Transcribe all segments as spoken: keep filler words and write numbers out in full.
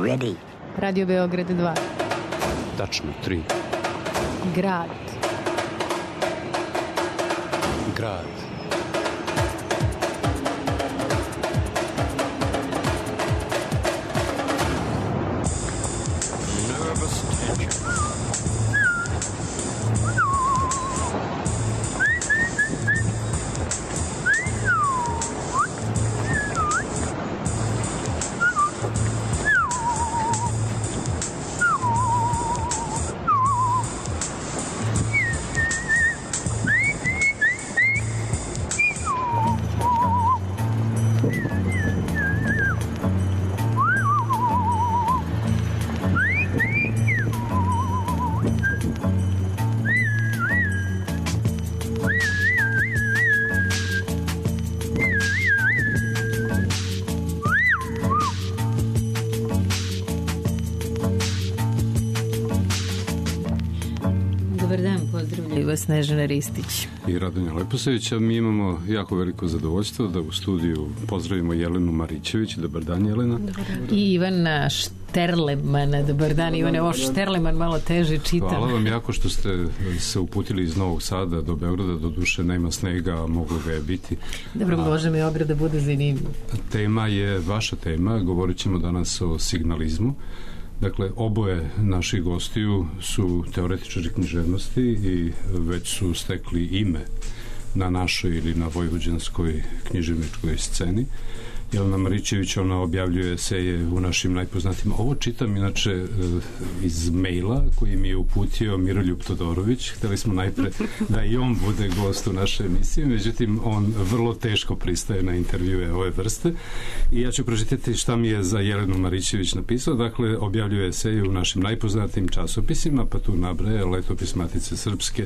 ready. Radio Beograd dva. Tačno tri. Grad. Grad. Nervous tension. Snežana Ristić i Radonja Leposevića. Mi imamo jako veliko zadovoljstvo da u studiju pozdravimo Jelenu Marićević. Dobar dan, Jelena. Dobar dan. I Ivana Šterlemana. Dobar dan, Ivane. Ovo Šterleman malo teže čitam. Hvala vam jako što ste se uputili iz Novog Sada do Beograda. Do duše nema snega, a moglo ga je biti. Dobro, može mi Beograd da bude zanimljiv. Tema je vaša tema. Govorit ćemo danas o signalizmu. Dakle, oboje naših gostiju su teoretičari književnosti i već su stekli ime na našoj ili na vojvođanskoj književničkoj sceni. Jelena Marićević, ona objavljuje eseje u našim najpoznatijim. Ovo čitam inače iz maila koji mi je uputio Miroljub Todorović. Hteli smo najpre da i on bude gost u našoj emisiji, međutim on vrlo teško pristaje na intervjue ove vrste i ja ću pročitati šta mi je za Jelenu Marićević napisao. Dakle, objavljuje eseje u našim najpoznatijim časopisima, pa tu nabraja Letopis Matice Srpske,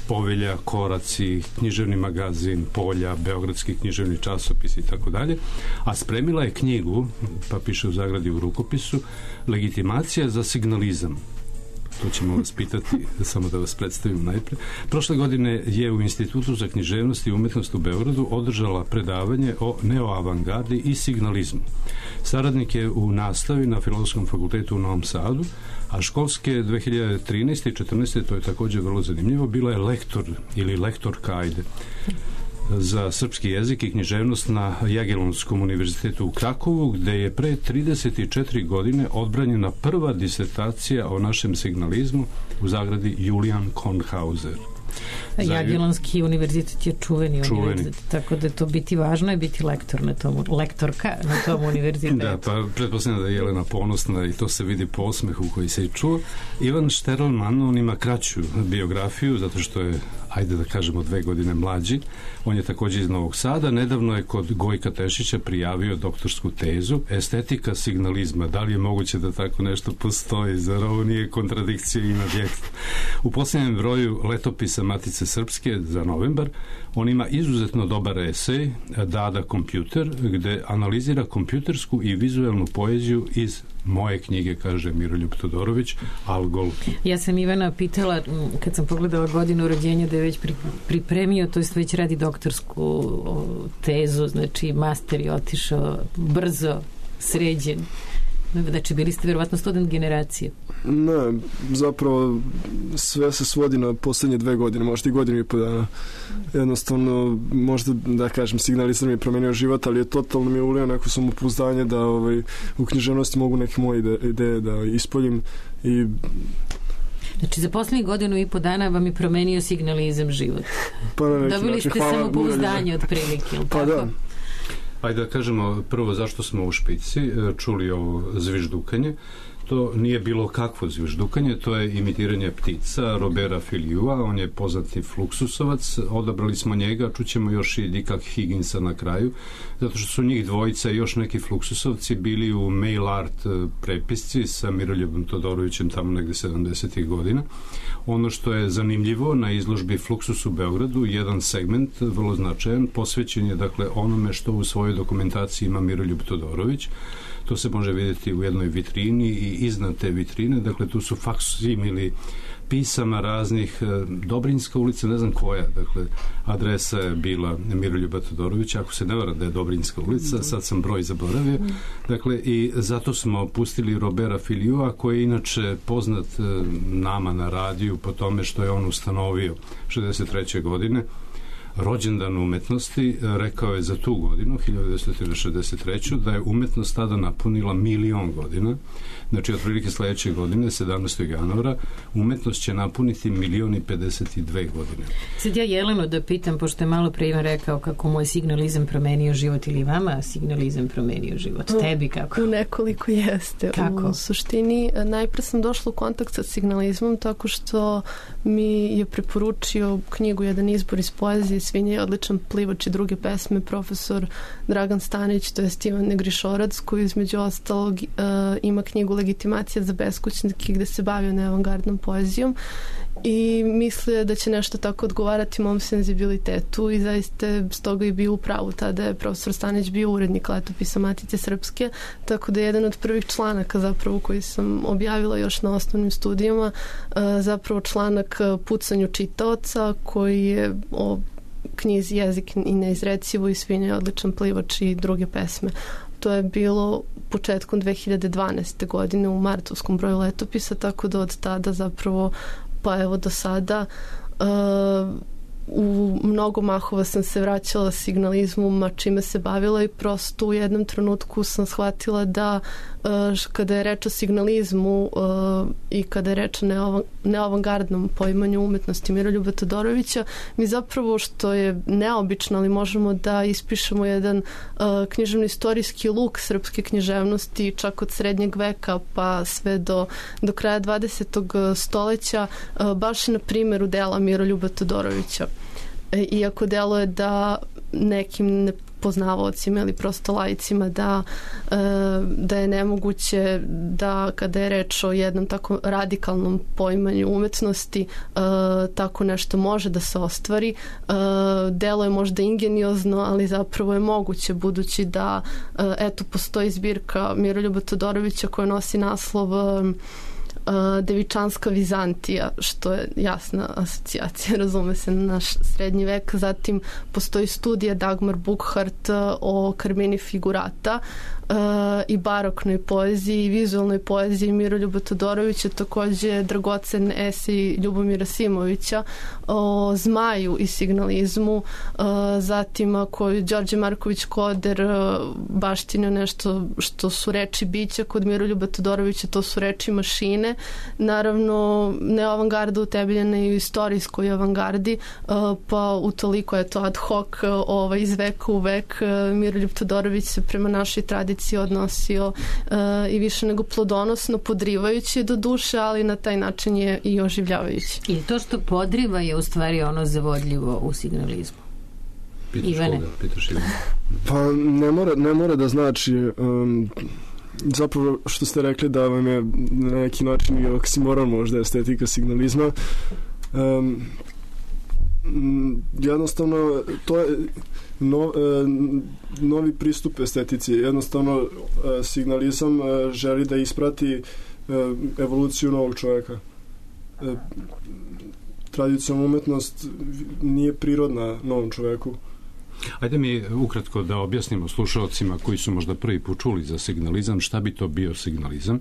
Povelja, Koraci, Književni magazin, Polja, Beogradski književni časopis i tako dalje. A spremila je knjigu, pa piše u zagradi u rukopisu, Legitimacija za signalizam. To ćemo vas pitati, samo da vas predstavim najpre. Prošle godine je u Institutu za književnost i umetnost u Beogradu održala predavanje o neoavangardi i signalizmu. Saradnik je u nastavi na Filozofskom fakultetu u Novom Sadu, a školske dve hiljade trinaeste i četrnaeste. to je također vrlo zanimljivo, bila je lektor ili lektorka, ajde, za srpski jezik i književnost na Jagiellonskom univerzitetu u Krakovu, gde je pre trideset četiri godine odbranjena prva disertacija o našem signalizmu u zagradi Julian Kornhauser. Jagiellonski univerzitet je čuveni, čuveni univerzitet, tako da to biti važno je biti lektor na tom, lektorka na tom univerzitetu. Da, pa pretpostavljam da je Jelena ponosna i to se vidi po osmehu koji se i čuo. Ivan Šterleman, on ima kraću biografiju, zato što je, ajde da kažemo, dve godine mlađi. On je također iz Novog Sada. Nedavno je kod Gojka Tešića prijavio doktorsku tezu Estetika signalizma. Da li je moguće da tako nešto postoji? Zar ovo nije kontradikcija ima vijek? U posljednjem broju Letopisa Matice Srpske za novembar on ima izuzetno dobar esej Dada kompjuter, gde analizira kompjutersku i vizuelnu poeziju iz moje knjige, kaže Miroljub Todorović, Algol. Ja sam Ivana pitala, kad sam pogledala godinu rođenja, da je već pripremio, to jest već radi doktorsku tezu, znači master je otišao brzo, sređen. Znači, bili ste vjerovatno student generacije. Ne, zapravo sve se svodi na posljednje dve godine, možda i godinu i po dana. Jednostavno, možda da kažem, signalizam je promenio život, ali je totalno mi je ulio neko samopouzdanje da ovaj, u književnosti mogu neke moje ide, ideje da ispoljim i... Znači, za posljednjih godinu i po dana vam je promenio signalizam život. Pa na neki Dobili način, ste samopouzdanje od prilike, ili pa tako? Da. Ajde da kažemo prvo zašto smo u špici, čuli ovo zviždukanje. To nije bilo kakvo zviždukanje, to je imitiranje ptica Robera Filiua, on je poznati fluksusovac, odabrali smo njega, čućemo još i Dicka Higginsa na kraju, zato što su njih dvojica i još neki fluksusovci bili u mail art prepisci sa Miroljubom Todorovićem tamo negde sedamdesetih godina. Ono što je zanimljivo na izložbi Fluksus u Beogradu, jedan segment vrlo značajan, posvećen je dakle onome što u svojoj dokumentaciji ima Miroljub Todorović. To se može vidjeti u jednoj vitrini i iznad te vitrine, dakle tu su faksimili pisama raznih, Dobrinjska ulica, ne znam koja, dakle adresa je bila Miroljuba Todorovića, ako se ne vara da je Dobrinjska ulica, sad sam broj zaboravio, dakle i zato smo pustili Robera Filiua, koji je inače poznat nama na radiju po tome što je on ustanovio šezdeset treće godine rođendan umetnosti, rekao je za tu godinu, hiljadu devetsto šezdeset treće da je umetnost tada napunila milion godina, znači otprilike sledeće godine, sedamnaestog januara, umetnost će napuniti milion i pedeset dve godine. Sad ja Jelenu da pitam, pošto je malo pre Ivan rekao kako moj signalizam promenio život, ili vama signalizam promenio život, tebi kako? U nekoliko jeste. Kako? U suštini, najpre sam došla u kontakt sa signalizmom tako što mi je preporučio knjigu Jedan izbor iz poezije, Svinja je odličan plivač i druge pesme, profesor Dragan Stanić, to je Ivan Negrišorac, koji između ostalog uh, ima knjigu Legitimacija za beskućnike gde se bavio neavangardnom poezijom i misle da će nešto tako odgovarati mom senzibilitetu i zaista stoga i bio u pravu. Tada je profesor Stanić bio urednik Letopisa Matice Srpske, tako da je jedan od prvih članaka zapravo koji sam objavila još na osnovnim studijama zapravo članak Pucanju čitaoca koji je o knjizi Jezik i neizrecivo i Svinja je odličan plivač i druge pesme. To je bilo početkom dve hiljade dvanaeste. godine u martovskom broju Letopisa, tako da od tada zapravo pa evo do sada uh, u mnogo mahova sam se vraćala signalizmu, ma čime se bavila i prosto u jednom trenutku sam shvatila da uh, kada je reč o signalizmu uh, i kada je reč o neavangardnom poimanju umetnosti Miroljuba Todorovića, mi zapravo, što je neobično, ali možemo da ispišemo jedan uh, književno-istorijski luk srpske književnosti čak od srednjeg veka pa sve do, do kraja dvadesetog stoleća uh, baš na primjeru dela Miroljuba Todorovića. Iako deluje da nekim poznavaocima ili prosto laicima da, da je nemoguće da kada je reč o jednom tako radikalnom poimanju umetnosti tako nešto može da se ostvari. Deluje možda ingeniozno, ali zapravo je moguće budući da eto postoji zbirka Miroljuba Todorovića koja nosi naslov Devičanska Vizantija, što je jasna asocijacija, razume se, na naš srednji vek. Zatim postoji studija Dagmar Bukhart o Carmini Figurata uh, i baroknoj poeziji i vizualnoj poeziji Miroljuba Todorovića, takođe dragocen esej Ljubomira Simovića o zmaju i signalizmu, uh, zatim ako je Đorđe Marković Koder uh, baštinio nešto što su reči bića, kod Miroljuba Todorovića to su reči mašine. Naravno, neavangarda utemeljena i u istorijskoj avangardi, pa utoliko je to ad hoc ovaj, iz veka u vek. Miroljub Todorović se prema našoj tradiciji odnosio i više nego plodonosno, podrivajući do duše, ali na taj način je i oživljavajući. I to što podriva je u stvari ono zavodljivo u signalizmu. Pitaš Ivane. Koga? Pitaš Ivane. Pa ne mora, ne mora da znači... Um, zapravo što ste rekli da vam je na neki način i oksimoron možda estetika signalizma, um, jednostavno to je no, novi pristup estetici. Jednostavno signalizam želi da isprati evoluciju novog čoveka. Tradicionalna umetnost nije prirodna novom čoveku. Ajde mi ukratko da objasnimo slušalcima koji su možda prvi put čuli za signalizam, šta bi to bio signalizam.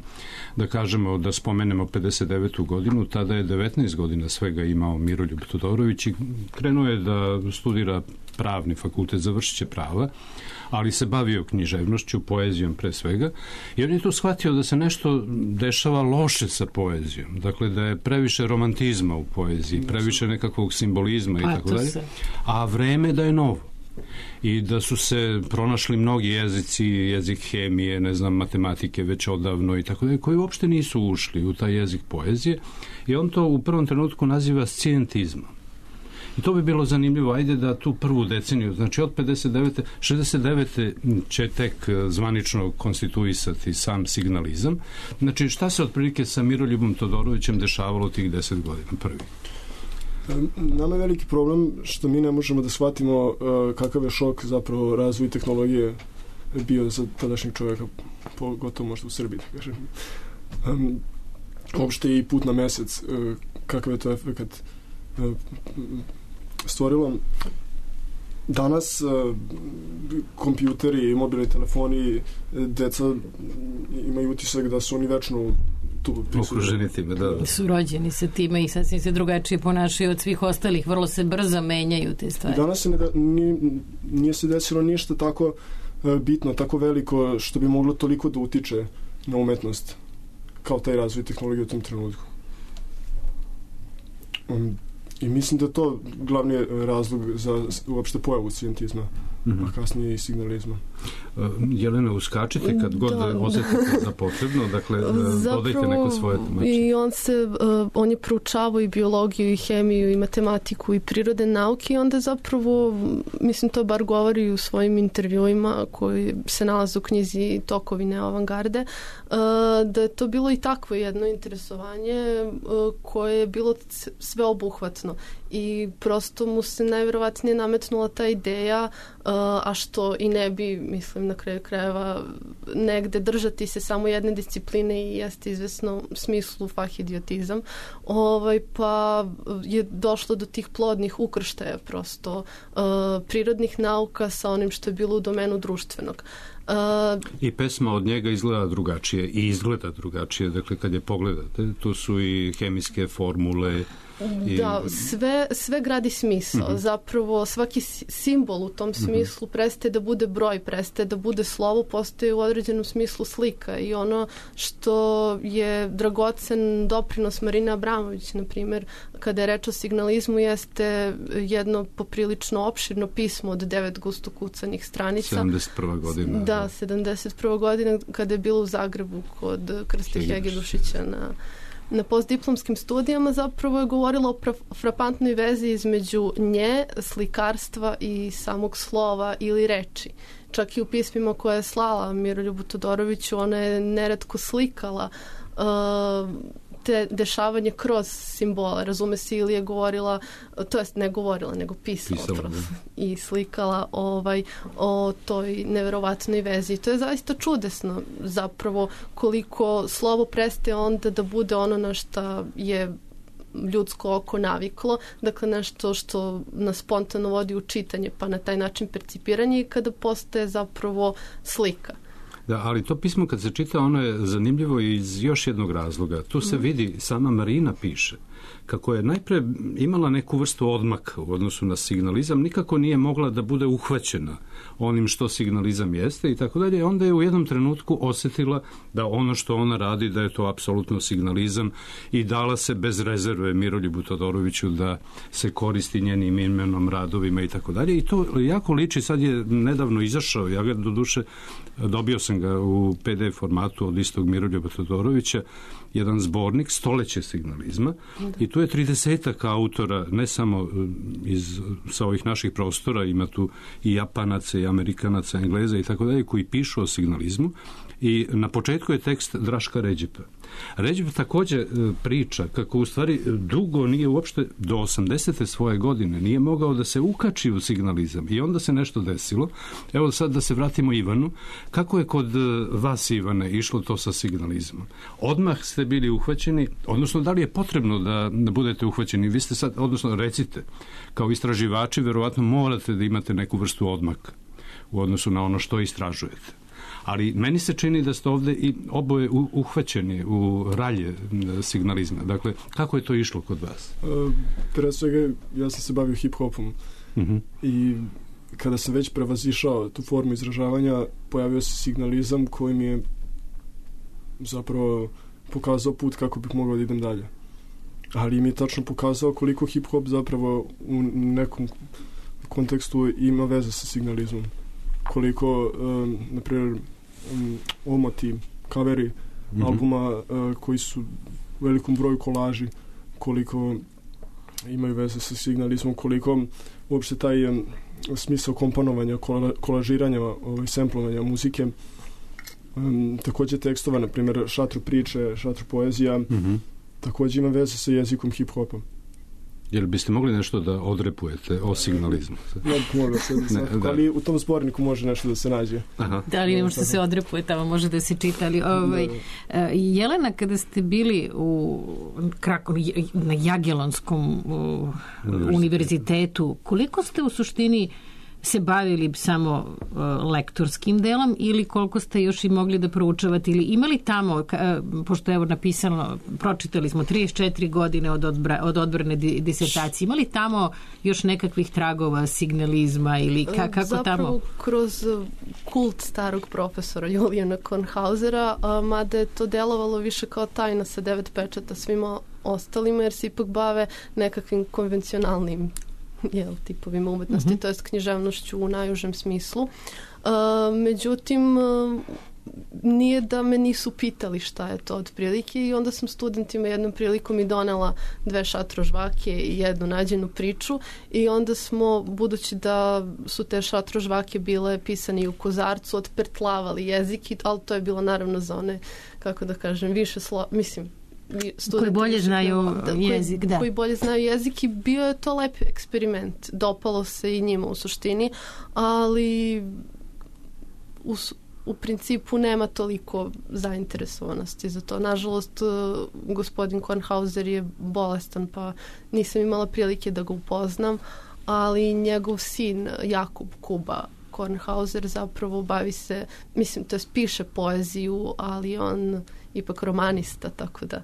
Da kažemo, da spomenemo pedeset devetu godinu, tada je devetnaest godina svega imao Miroljub Todorović i krenuo je da studira pravni fakultet, završit će prava, ali se bavio književnošću, poezijom pre svega, i on je tu shvatio da se nešto dešava loše sa poezijom, dakle da je previše romantizma u poeziji, previše nekakvog simbolizma i tako dalje, a vreme da je novo. I da su se pronašli mnogi jezici, jezik hemije, ne znam, matematike već odavno i tako dalje, koji uopšte nisu ušli u taj jezik poezije, i on to u prvom trenutku naziva scijentizmom. I to bi bilo zanimljivo, ajde da tu prvu deceniju, znači od pedeset devete, šezdeset devete će tek zvanično konstituisati sam signalizam. Znači šta se otprilike sa Miroljubom Todorovićem dešavalo tih deset godina prvi? Nama je veliki problem što mi ne možemo da shvatimo uh, kakav je šok zapravo razvoj tehnologije bio za tadašnjeg čovjeka, pogotovo možda u Srbiji, da kažem. um, uopšte i put na mesec, uh, kakav je to efekt uh, stvorilo. Danas uh, kompjuteri i mobilni telefoni, deca imaju utisak da su oni večno tu okruženi time, da. Su rođeni sa time i sasvim se drugačije ponašaju od svih ostalih, vrlo se brzo menjaju te stvari. Danas se ne da, nije, nije se desilo ništa tako uh, bitno, tako veliko što bi moglo toliko da utiče na umetnost kao taj razvoj tehnologije u tom trenutku. Um, I mislim da je to glavni razlog za uopšte pojavu scientizma, mm-hmm. a kasnije i signalizma. Uh, Jelena, uskačite kad god da, osjetite za potrebno, dakle, zapravo, dodajte neko svoje tumačenje. I on se, uh, on je proučavao i biologiju, i hemiju, i matematiku, i prirodne nauke, i onda zapravo, mislim, to bar govori u svojim intervjuima koji se nalaze u knjizi Tokovi neoavangarde, uh, da je to bilo i takvo jedno interesovanje uh, koje je bilo sveobuhvatno. I prosto mu se najverovatnije nametnula ta ideja, uh, a što i ne bi, mislim, na kraju krajeva negde držati se samo jedne discipline i jeste izvesno u smislu fahidiotizam, ovaj, pa je došlo do tih plodnih ukrštaja prosto uh, prirodnih nauka sa onim što je bilo u domenu društvenog. Uh, I pesma od njega izgleda drugačije i izgleda drugačije, dakle kad je pogledate, tu su i hemijske formule. I... Da, sve, sve gradi smisao. Mm-hmm. Zapravo svaki simbol u tom smislu mm-hmm. prestaje da bude broj, prestaje da bude slovo, postaje u određenom smislu slika. I ono što je dragocen doprinos Marine Abramović, na primjer, kada je reč o signalizmu, jeste jedno poprilično opširno pismo od devet gusto kucanih stranica. sedamdeset prva godina. Da, sedamdeset prva godina kada je bilo u Zagrebu kod Krste Hegedušića na na postdiplomskim studijama, zapravo je govorila o frapantnoj vezi između nje, slikarstva i samog slova ili reči. Čak i u pismima koje je slala Miroljubu Todoroviću, ona je neretko slikala uh, te dešavanje kroz simbole. Razume se, ili je govorila, to jest ne govorila, nego pisala, pisala i slikala ovaj, o toj neverovatnoj vezi. To je zaista čudesno, zapravo, koliko slovo prestaje onda da bude ono na šta je ljudsko oko naviklo, dakle nešto što nas spontano vodi u čitanje, pa na taj način percipiranje, i kada postaje zapravo slika. Da, ali to pismo kad se čita, ono je zanimljivo iz još jednog razloga. Tu se vidi, sama Marina piše, kako je najpre imala neku vrstu odmaka u odnosu na signalizam, nikako nije mogla da bude uhvaćena onim što signalizam jeste i tako dalje. Onda je u jednom trenutku osjetila da ono što ona radi, da je to apsolutno signalizam, i dala se bez rezerve Miroljubu Todoroviću da se koristi njenim imenom, radovima i tako dalje. I to jako liči, sad je nedavno izašao, ja ga doduše dobio sam ga u pe de ef formatu od istog Miroljuba Todorovića, jedan zbornik Stoleće signalizma, i tu je tridesetak autora, ne samo iz, sa ovih naših prostora, ima tu i Japanaca, i Amerikanaca, Engleza i tako dalje, koji pišu o signalizmu, i na početku je tekst Draška Ređepa. Ređep također priča kako u stvari dugo nije uopšte do osamdesete svoje godine nije mogao da se ukači u signalizam, i onda se nešto desilo. Evo sad da se vratimo Ivanu. Kako je kod vas, Ivane, išlo to sa signalizmom? Odmah ste bili uhvaćeni, odnosno da li je potrebno da, da budete uhvaćeni? Vi ste sad, odnosno recite, kao istraživači verovatno morate da imate neku vrstu odmaka u odnosu na ono što istražujete. Ali meni se čini da ste ovde i oboje uhvaćeni u ralje signalizma. Dakle, kako je to išlo kod vas? Uh, pre svega, ja sam se bavio hip-hopom. Uh-huh. I kada sam već prevazišao tu formu izražavanja, pojavio se signalizam koji mi je zapravo pokazao put kako bih mogao da idem dalje. Ali mi je tačno pokazao koliko hip-hop zapravo u nekom kontekstu ima veze sa signalizmom. Koliko, um, na primjer, um, omoti, kaveri mm-hmm. albuma uh, koji su u velikom broju kolaži, koliko imaju veze sa signalizmom, koliko uopšte taj um, smisao komponovanja, kola, kolažiranja, ovaj, semplovanja muzike, um, također tekstova, na primjer, šatru priče, šatru poezija, mm-hmm. također ima veze sa jezikom hip-hopa. Jel biste mogli nešto da odrepujete o signalizmu? Ne bih mogla se, ne, ali u tom zborniku može nešto da se nađe. Aha. Da li ne može da se odrepuje, tamo može da se čita. Ali, ovaj, Jelena, kada ste bili u Krakow, na Jagiellonskom univerzitetu, koliko ste u suštini se bavili samo uh, lektorskim delom ili koliko ste još i mogli da proučavate ili imali tamo, ka, pošto je evo napisano, pročitali smo trideset četiri godine od, odbra, od odbrane disertacije, imali tamo još nekakvih tragova signalizma ili ka, kako Zapravo, tamo? Zapravo kroz kult starog profesora Julijana Kornhausera, a, mada je to delovalo više kao tajna sa devet pečata svima ostalima, jer se ipak bave nekakvim konvencionalnim jel, tipovima umetnosti, mm-hmm. to jest književnošću u najužem smislu. Uh, međutim, uh, nije da me nisu pitali šta je to otprilike i onda sam studentima jednom prilikom i donela dve šatrožvake i jednu nađenu priču i onda smo, budući da su te šatrožvake bile pisane u kozarcu, otpertlavali jezik, ali to je bilo naravno za one, kako da kažem, više slo... mislim, koji bolje znaju da, jezik, koji, da. koji bolje znaju jezik i bio je to lep eksperiment. Dopalo se i njima u suštini, ali u, u principu nema toliko zainteresovanosti za to. Nažalost, gospodin Kornhauser je bolestan, pa nisam imala prilike da ga upoznam, ali njegov sin Jakub Kuba Kornhauser zapravo bavi se, mislim, to je piše poeziju, ali on ipak romanista, tako da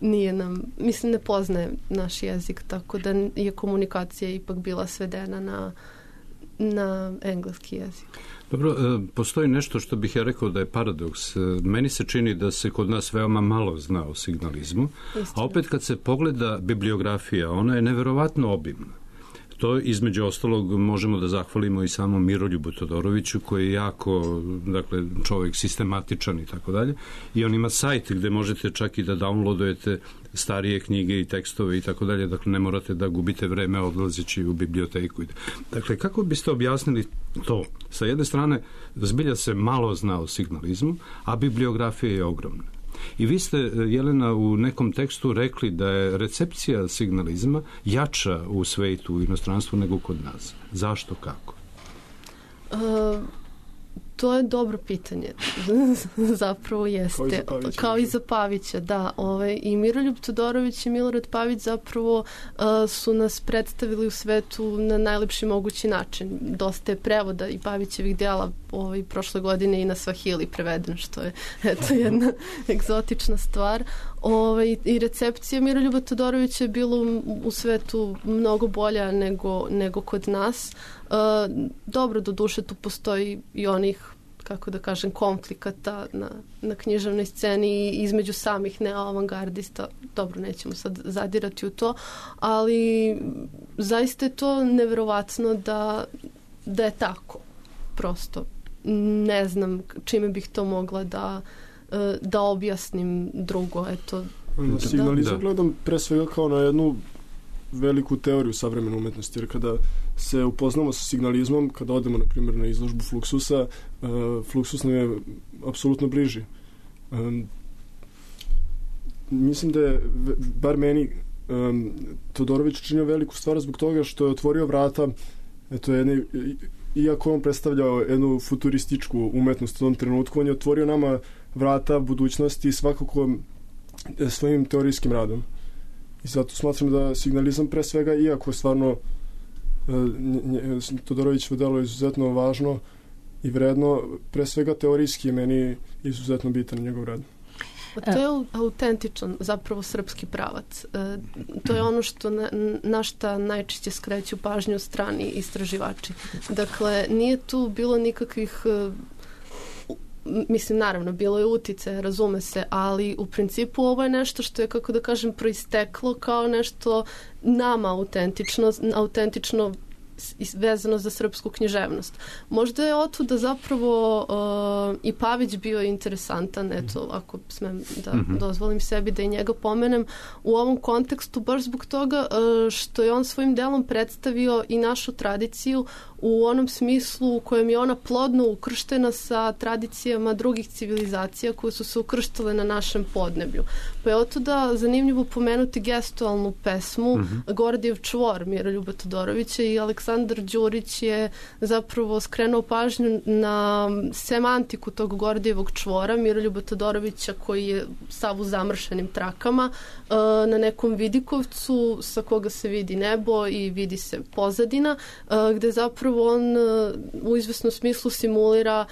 nije nam, mislim, ne poznaje naš jezik, tako da je komunikacija ipak bila svedena na, na engleski jezik. Dobro, postoji nešto što bih ja rekao da je paradoks. Meni se čini da se kod nas veoma malo zna o signalizmu, a opet kad se pogleda bibliografija, ona je neverovatno obimna. To između ostalog možemo da zahvalimo i samom Miroljubu Todoroviću koji je jako, dakle, čovjek sistematičan i tako dalje. I on ima sajt gde možete čak i da downloadujete starije knjige i tekstove i tako dalje. Dakle, ne morate da gubite vreme odlazeći u biblioteku. Dakle, kako biste objasnili to? Sa jedne strane, zbilja se malo zna o signalizmu, a bibliografija je ogromna. I vi ste, Jelena, u nekom tekstu rekli da je recepcija signalizma jača u svetu, u inostranstvu, nego kod nas. Zašto, kako? Uh, to je dobro pitanje. Zapravo jeste. Kao i za Pavića. Kao i za Pavića, da. Ovaj, I Miroljub Todorović i Milorad Pavić zapravo uh, su nas predstavili u svetu na najlepši mogući način. Dosta je prevoda i Pavićevih djela ovaj, prošle godine i na Svahili preveden, što je eto, jedna egzotična stvar. Ovaj, I recepcija Miroljuba Todorovića je bilo u, u svetu mnogo bolja nego, nego kod nas. Uh, dobro, do duše tu postoji i onih, kako da kažem, konflikata na, na književnoj sceni između samih neoavangardista. Dobro, nećemo sad zadirati u to, ali zaista je to neverovatno da, da je tako. Prosto ne znam čime bih to mogla da, da objasnim drugo. Eto, na signalizam da. Gledam pre svega kao na jednu veliku teoriju savremene umetnosti, jer kada se upoznamo sa signalizmom, kada odemo, na primjer, na izložbu Fluxusa, uh, Fluxus nam je apsolutno bliži. Um, mislim da je, bar meni, um, Todorović činio veliku stvar zbog toga što je otvorio vrata, eto, jedne, iako on predstavljao jednu futurističku umetnost u tom trenutku, on je otvorio nama vrata budućnosti svakako svojim teorijskim radom. I zato smatram da signalizam pre svega, iako je stvarno Todorovićevo delo je izuzetno važno i vredno, pre svega teorijski je meni izuzetno bitan njegov rad. To je autentičan, zapravo srpski pravac. E, to je ono što na, na šta najčešće skreću pažnju strani istraživači. Dakle, nije tu bilo nikakvih, mislim, naravno, bilo je utice, razume se, ali u principu ovo je nešto što je, kako da kažem, proisteklo kao nešto nama autentično, autentično vezano za srpsku književnost. Možda je otuda zapravo uh, i Pavić bio interesantan, eto, ako smem da mm-hmm. dozvolim sebi da i njega pomenem u ovom kontekstu, baš zbog toga uh, što je on svojim delom predstavio i našu tradiciju u onom smislu u kojem je ona plodno ukrštena sa tradicijama drugih civilizacija koje su se ukrštile na našem podneblju. Pa je otuda zanimljivo pomenuti gestualnu pesmu mm-hmm. Gordijev čvor Miroljuba Todorovića i Aleksandar Đurić je zapravo skrenuo pažnju na semantiku tog Gordijevog čvora Miroljuba Todorovića koji je sav u zamršenim trakama na nekom vidikovcu sa koga se vidi nebo i vidi se pozadina, gde zapravo on u izvesnom smislu simulira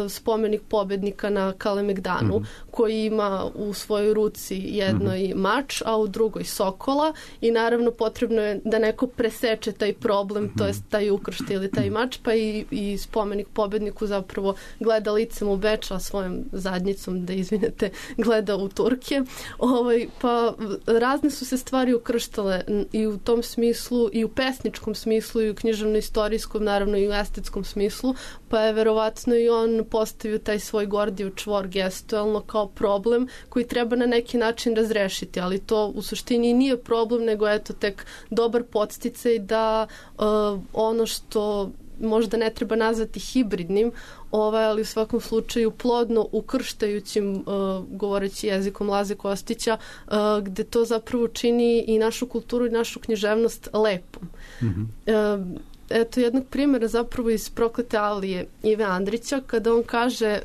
spomenik pobednika na Kalemegdanu mm-hmm. koji ima u svojoj ruci jednoj mm-hmm. mač, a u drugoj sokola i naravno potrebno je da neko preseče taj problem, mm-hmm. to jest taj ukršti ili taj mač, pa i, i spomenik pobedniku zapravo gleda licem u Beč, a svojom zadnjicom, da izvinete, gleda u Turke. Ovaj, pa razne su se stvari ukrštale i u tom smislu, i u pesničkom smislu, i u književno-istorijskom, naravno i u estetskom smislu, pa je verovatno i on postavio taj svoj Gordijev čvor gestualno kao problem koji treba na neki način razrešiti, ali to u suštini nije problem, nego eto tek dobar podsticaj da uh, ono što možda ne treba nazvati hibridnim, ovaj, ali u svakom slučaju plodno ukrštajućim, uh, govoreći jezikom Laze Kostića, uh, gde to zapravo čini i našu kulturu i našu književnost lepom. Mm-hmm. Uh, eto jednog primjera zapravo iz Proklete Alije Ive Andrića, kada on kaže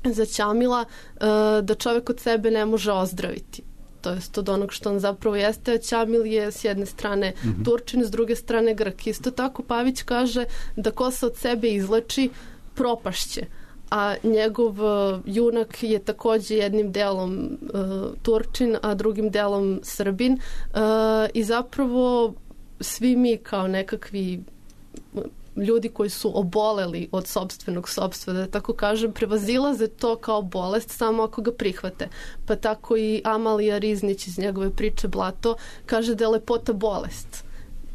uh, za Ćamila uh, da čovjek od sebe ne može ozdraviti. To jest od onog što on zapravo jeste, a Ćamil je s jedne strane mm-hmm. Turčin, s druge strane Grk. Isto tako Pavić kaže da ko se od sebe izleči, propašće. A njegov uh, junak je također jednim delom uh, Turčin, a drugim delom Srbin. Uh, I zapravo svi mi kao nekakvi ljudi koji su oboleli od sopstvenog sopstva, da tako kažem, prevazilaze to kao bolest samo ako ga prihvate. Pa tako i Amalija Riznić iz njegove priče Blato kaže da je lepota bolest.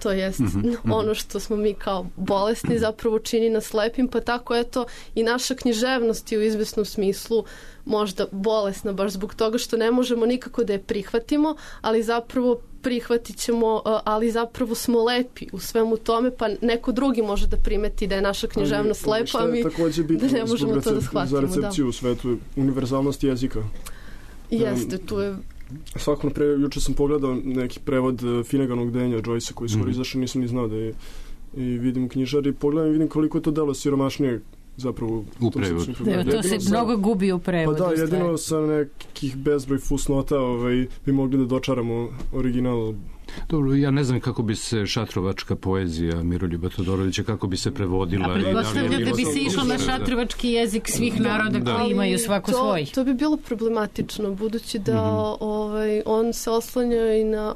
To jest mm-hmm. ono što smo mi kao bolesni zapravo čini nas lepim, pa tako eto i naša književnost je u izvesnom smislu možda bolesna baš zbog toga što ne možemo nikako da je prihvatimo, ali zapravo prihvatit ćemo, ali zapravo smo lepi u svemu tome, pa neko drugi može da primeti da je naša književnost ali, lepa, a mi da ne možemo to da shvatimo. Za recepciju da. U svetu, univerzalnost jezika. Jeste, tu je svako napred, juče sam pogledao neki prevod Finnaganog denja Joyce koji skoro mm. izašao, nisam ni znao da je i vidim u knjižari, pogledam i vidim koliko je to delo siromašnije zapravo u prevodu. Da, to se sa, mnogo gubi u prevodu. Pa da, jedino sa nekih bezbroj fusnota ovaj, bi mogli da dočaramo original. Dobro, ja ne znam kako bi se šatrovačka poezija Miroljuba Todorovića, kako bi se prevodila. A pretpostavljam da, da bi se išlo na šatrovački jezik svih naroda da. Koji imaju svako to, svoj. To bi bilo problematično, budući da mm-hmm. ovaj, on se oslanja i na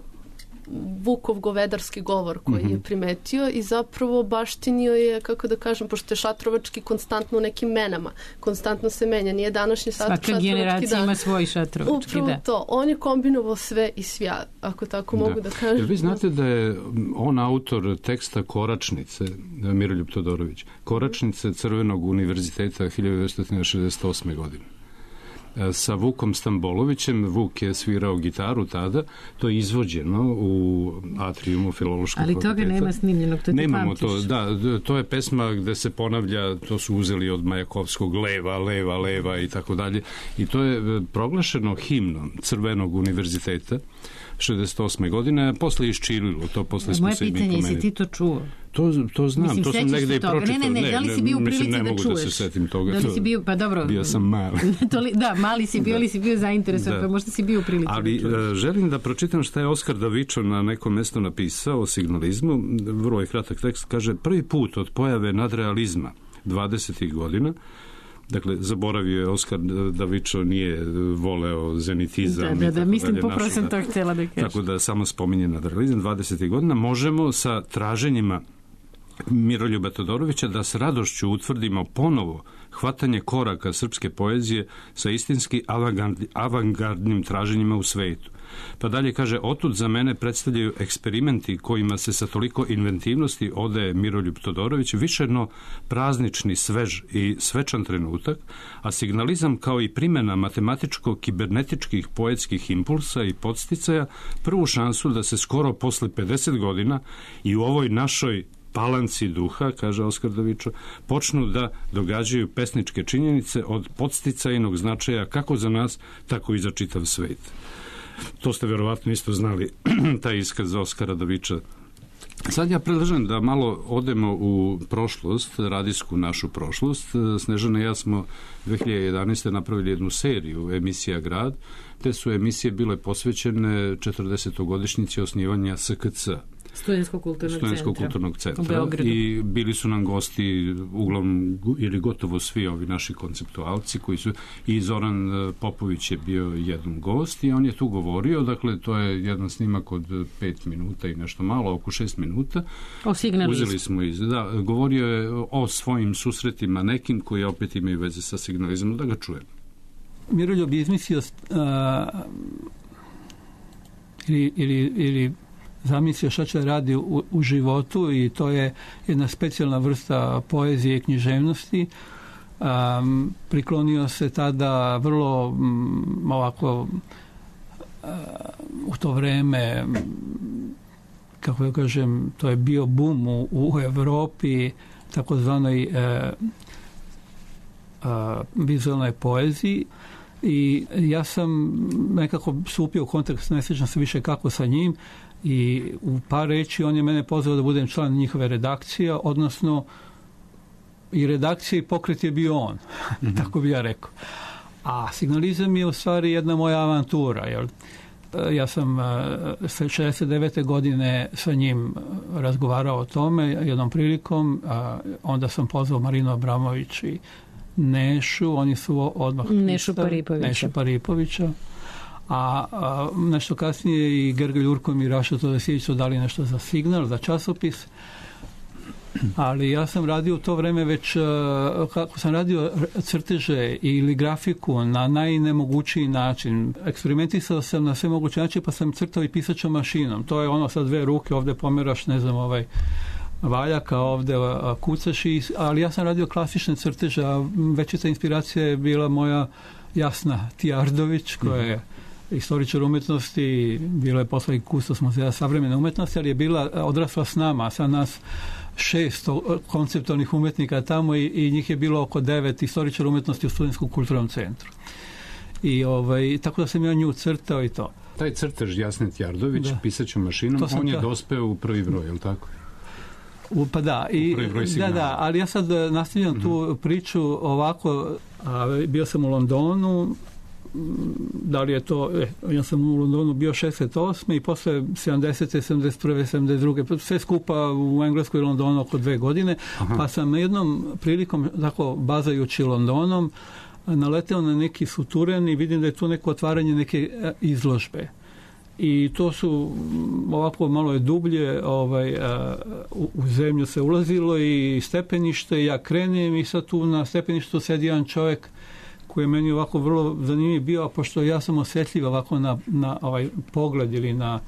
Vukov govedarski govor koji mm-hmm. je primetio i zapravo baštinio je, kako da kažem, pošto je šatrovački konstantno u nekim menama, konstantno se menja, nije današnji svaka šatrovački generacija dan. Ima svoj šatrovački, upravo da. To, on je kombinovao sve i svja, ako tako da. Mogu da kažem. Jer vi znate da je on autor teksta Koračnice, Miroljub Todorović, Koračnice Crvenog univerziteta hiljadu devetsto šezdeset osme. godine. Sa Vukom Stambolovićem. Vuk je svirao gitaru tada, to je izvođeno u atrijumu Filološkog fakulteta. Ali toga nema snimljenog, to ti Nemamo pamtiš. To, da, to je pesma gde se ponavlja, to su uzeli od Majakovskog leva, leva, leva i tako dalje. I to je proglašeno himnom Crvenog univerziteta šezdeset osme. godine, a posle iščililo, to posle smo moje se i mi pitanje, pomenuli. jesi ti to čuo? To, to znam, mislim, to sam negde i pročitao. Ne, ne, ne, da li si bio u prilici ne, da mogu čuješ? Da se setim toga. Da li si bio, pa dobro. Bio sam mali. Da, mali si bio, ali si bio zainteresovan, da. Pa možda si bio u prilici ali, da čuješ. Želim da pročitam šta je Oskar Davičo na nekom mjestu napisao o signalizmu. Vrlo je kratak tekst. Kaže, prvi put od pojave nadrealizma dvadesetih godina, dakle, zaboravio je Oskar Davičo, nije voleo zenitizam. Da, da, da, mislim, popravo sam to htjela da kažem. Tako da samo spominje nadrealizam dvadesetih godina. Možemo sa traženjima Miroljuba Todorovića da s radošću utvrdimo ponovo hvatanje koraka srpske poezije sa istinski avangardnim traženjima u svetu. Pa dalje kaže, otud za mene predstavljaju eksperimenti kojima se sa toliko inventivnosti odaje Miroljub Todorović višeno praznični, svež i svečan trenutak, a signalizam kao i primjena matematičko-kibernetičkih poetskih impulsa i podsticaja prvu šansu da se skoro posle pedeset godina i u ovoj našoj palanci duha, kaže Oskar Davičo, počnu da događaju pesničke činjenice od podsticajnog značaja kako za nas, tako i za čitav svet. To ste verovatno isto znali, taj iskaz Oskara Daviča. Sad ja predlažem da malo odemo u prošlost, radijsku našu prošlost. Snežana i ja smo dve hiljade jedanaeste. napravili jednu seriju emisija Grad. Te su emisije bile posvećene četrdesetogodišnjici osnivanja S K C. Studentskog kulturnog Studentskog centra. kulturnog centra. I bili su nam gosti uglavnom ili gotovo svi ovi naši konceptualci koji su, i Zoran Popović je bio jedan gost i on je tu govorio, dakle to je jedan snimak od pet minuta i nešto malo, oko šest minuta. O signalizmu. Uzeli smo iz, da, govorio je o svojim susretima nekim koji opet imaju veze sa signalizmom, da ga čujem. Miroljub je izmislio uh, ili, ili, ili zamislio šta će radi u, u životu i to je jedna specijalna vrsta poezije i književnosti. Um, priklonio se tada vrlo um, ovako uh, u to vreme, kako ja kažem, to je bio bum u, u Evropi, takozvanoj uh, uh, vizualnoj poeziji. I ja sam nekako stupio u kontakt, ne sjećam se više kako sa njim, i u par reći on je mene pozvao da budem član njihove redakcije, odnosno i redakcija i pokret je bio on, mm-hmm. tako bi ja rekao. A signalizam je u stvari jedna moja avantura, jer ja sam šezdeset devete. godine sa njim razgovarao o tome jednom prilikom, a onda sam pozvao Marinu Abramović i Nešu, oni su odmah Nešu Paripovića. Nešu Paripovića. A, a nešto kasnije i Gergely Urkom i Raša Todosijević su dali nešto za Signal, za časopis. Ali ja sam radio u to vreme već, kako sam radio crteže ili grafiku na najnemogućiji način. Eksperimentisao sam na sve moguće način, pa sam crtao i pisaćom mašinom. To je ono sa dve ruke, ovde pomeraš, ne znam, ovaj valjaka, ovde kucaš, i, ali ja sam radio klasične crteže, a većica inspiracija je bila moja Jasna Tijardović, koja je istoričar umetnosti, bila je posle i kustos muzeja savremene umetnosti, ali je bila odrasla s nama, sa nas šest konceptualnih umetnika tamo i, i njih je bilo oko devet istoričara umetnosti u Studentskom kulturnom centru. I ovaj, tako da sam ja nju crtao i to. Taj crtež Jasne Tjardović, da. Pisaćom mašinom, on je ta... dospeo u prvi broj, je li tako? U, pa da, i, da, da, ali ja sad nastavljam mm-hmm. tu priču ovako, a, bio sam u Londonu, da li je to, eh, ja sam u Londonu bio šezdeset osme i posle sedamdesete, sedamdeset prve, sedamdeset druge sve skupa u Engleskoj i Londonu oko dve godine, Aha. pa sam jednom prilikom, tako bazajući Londonom, naleteo na neki suturen i vidim da je tu neko otvaranje neke izložbe. I to su ovako malo je dublje, ovaj, u, u zemlju se ulazilo i stepenište, ja krenem i sad tu na stepeništu sedi jedan čovjek koji je meni ovako vrlo zanimljiv bio, a pošto ja sam osjetljiv ovako na, na ovaj pogled ili na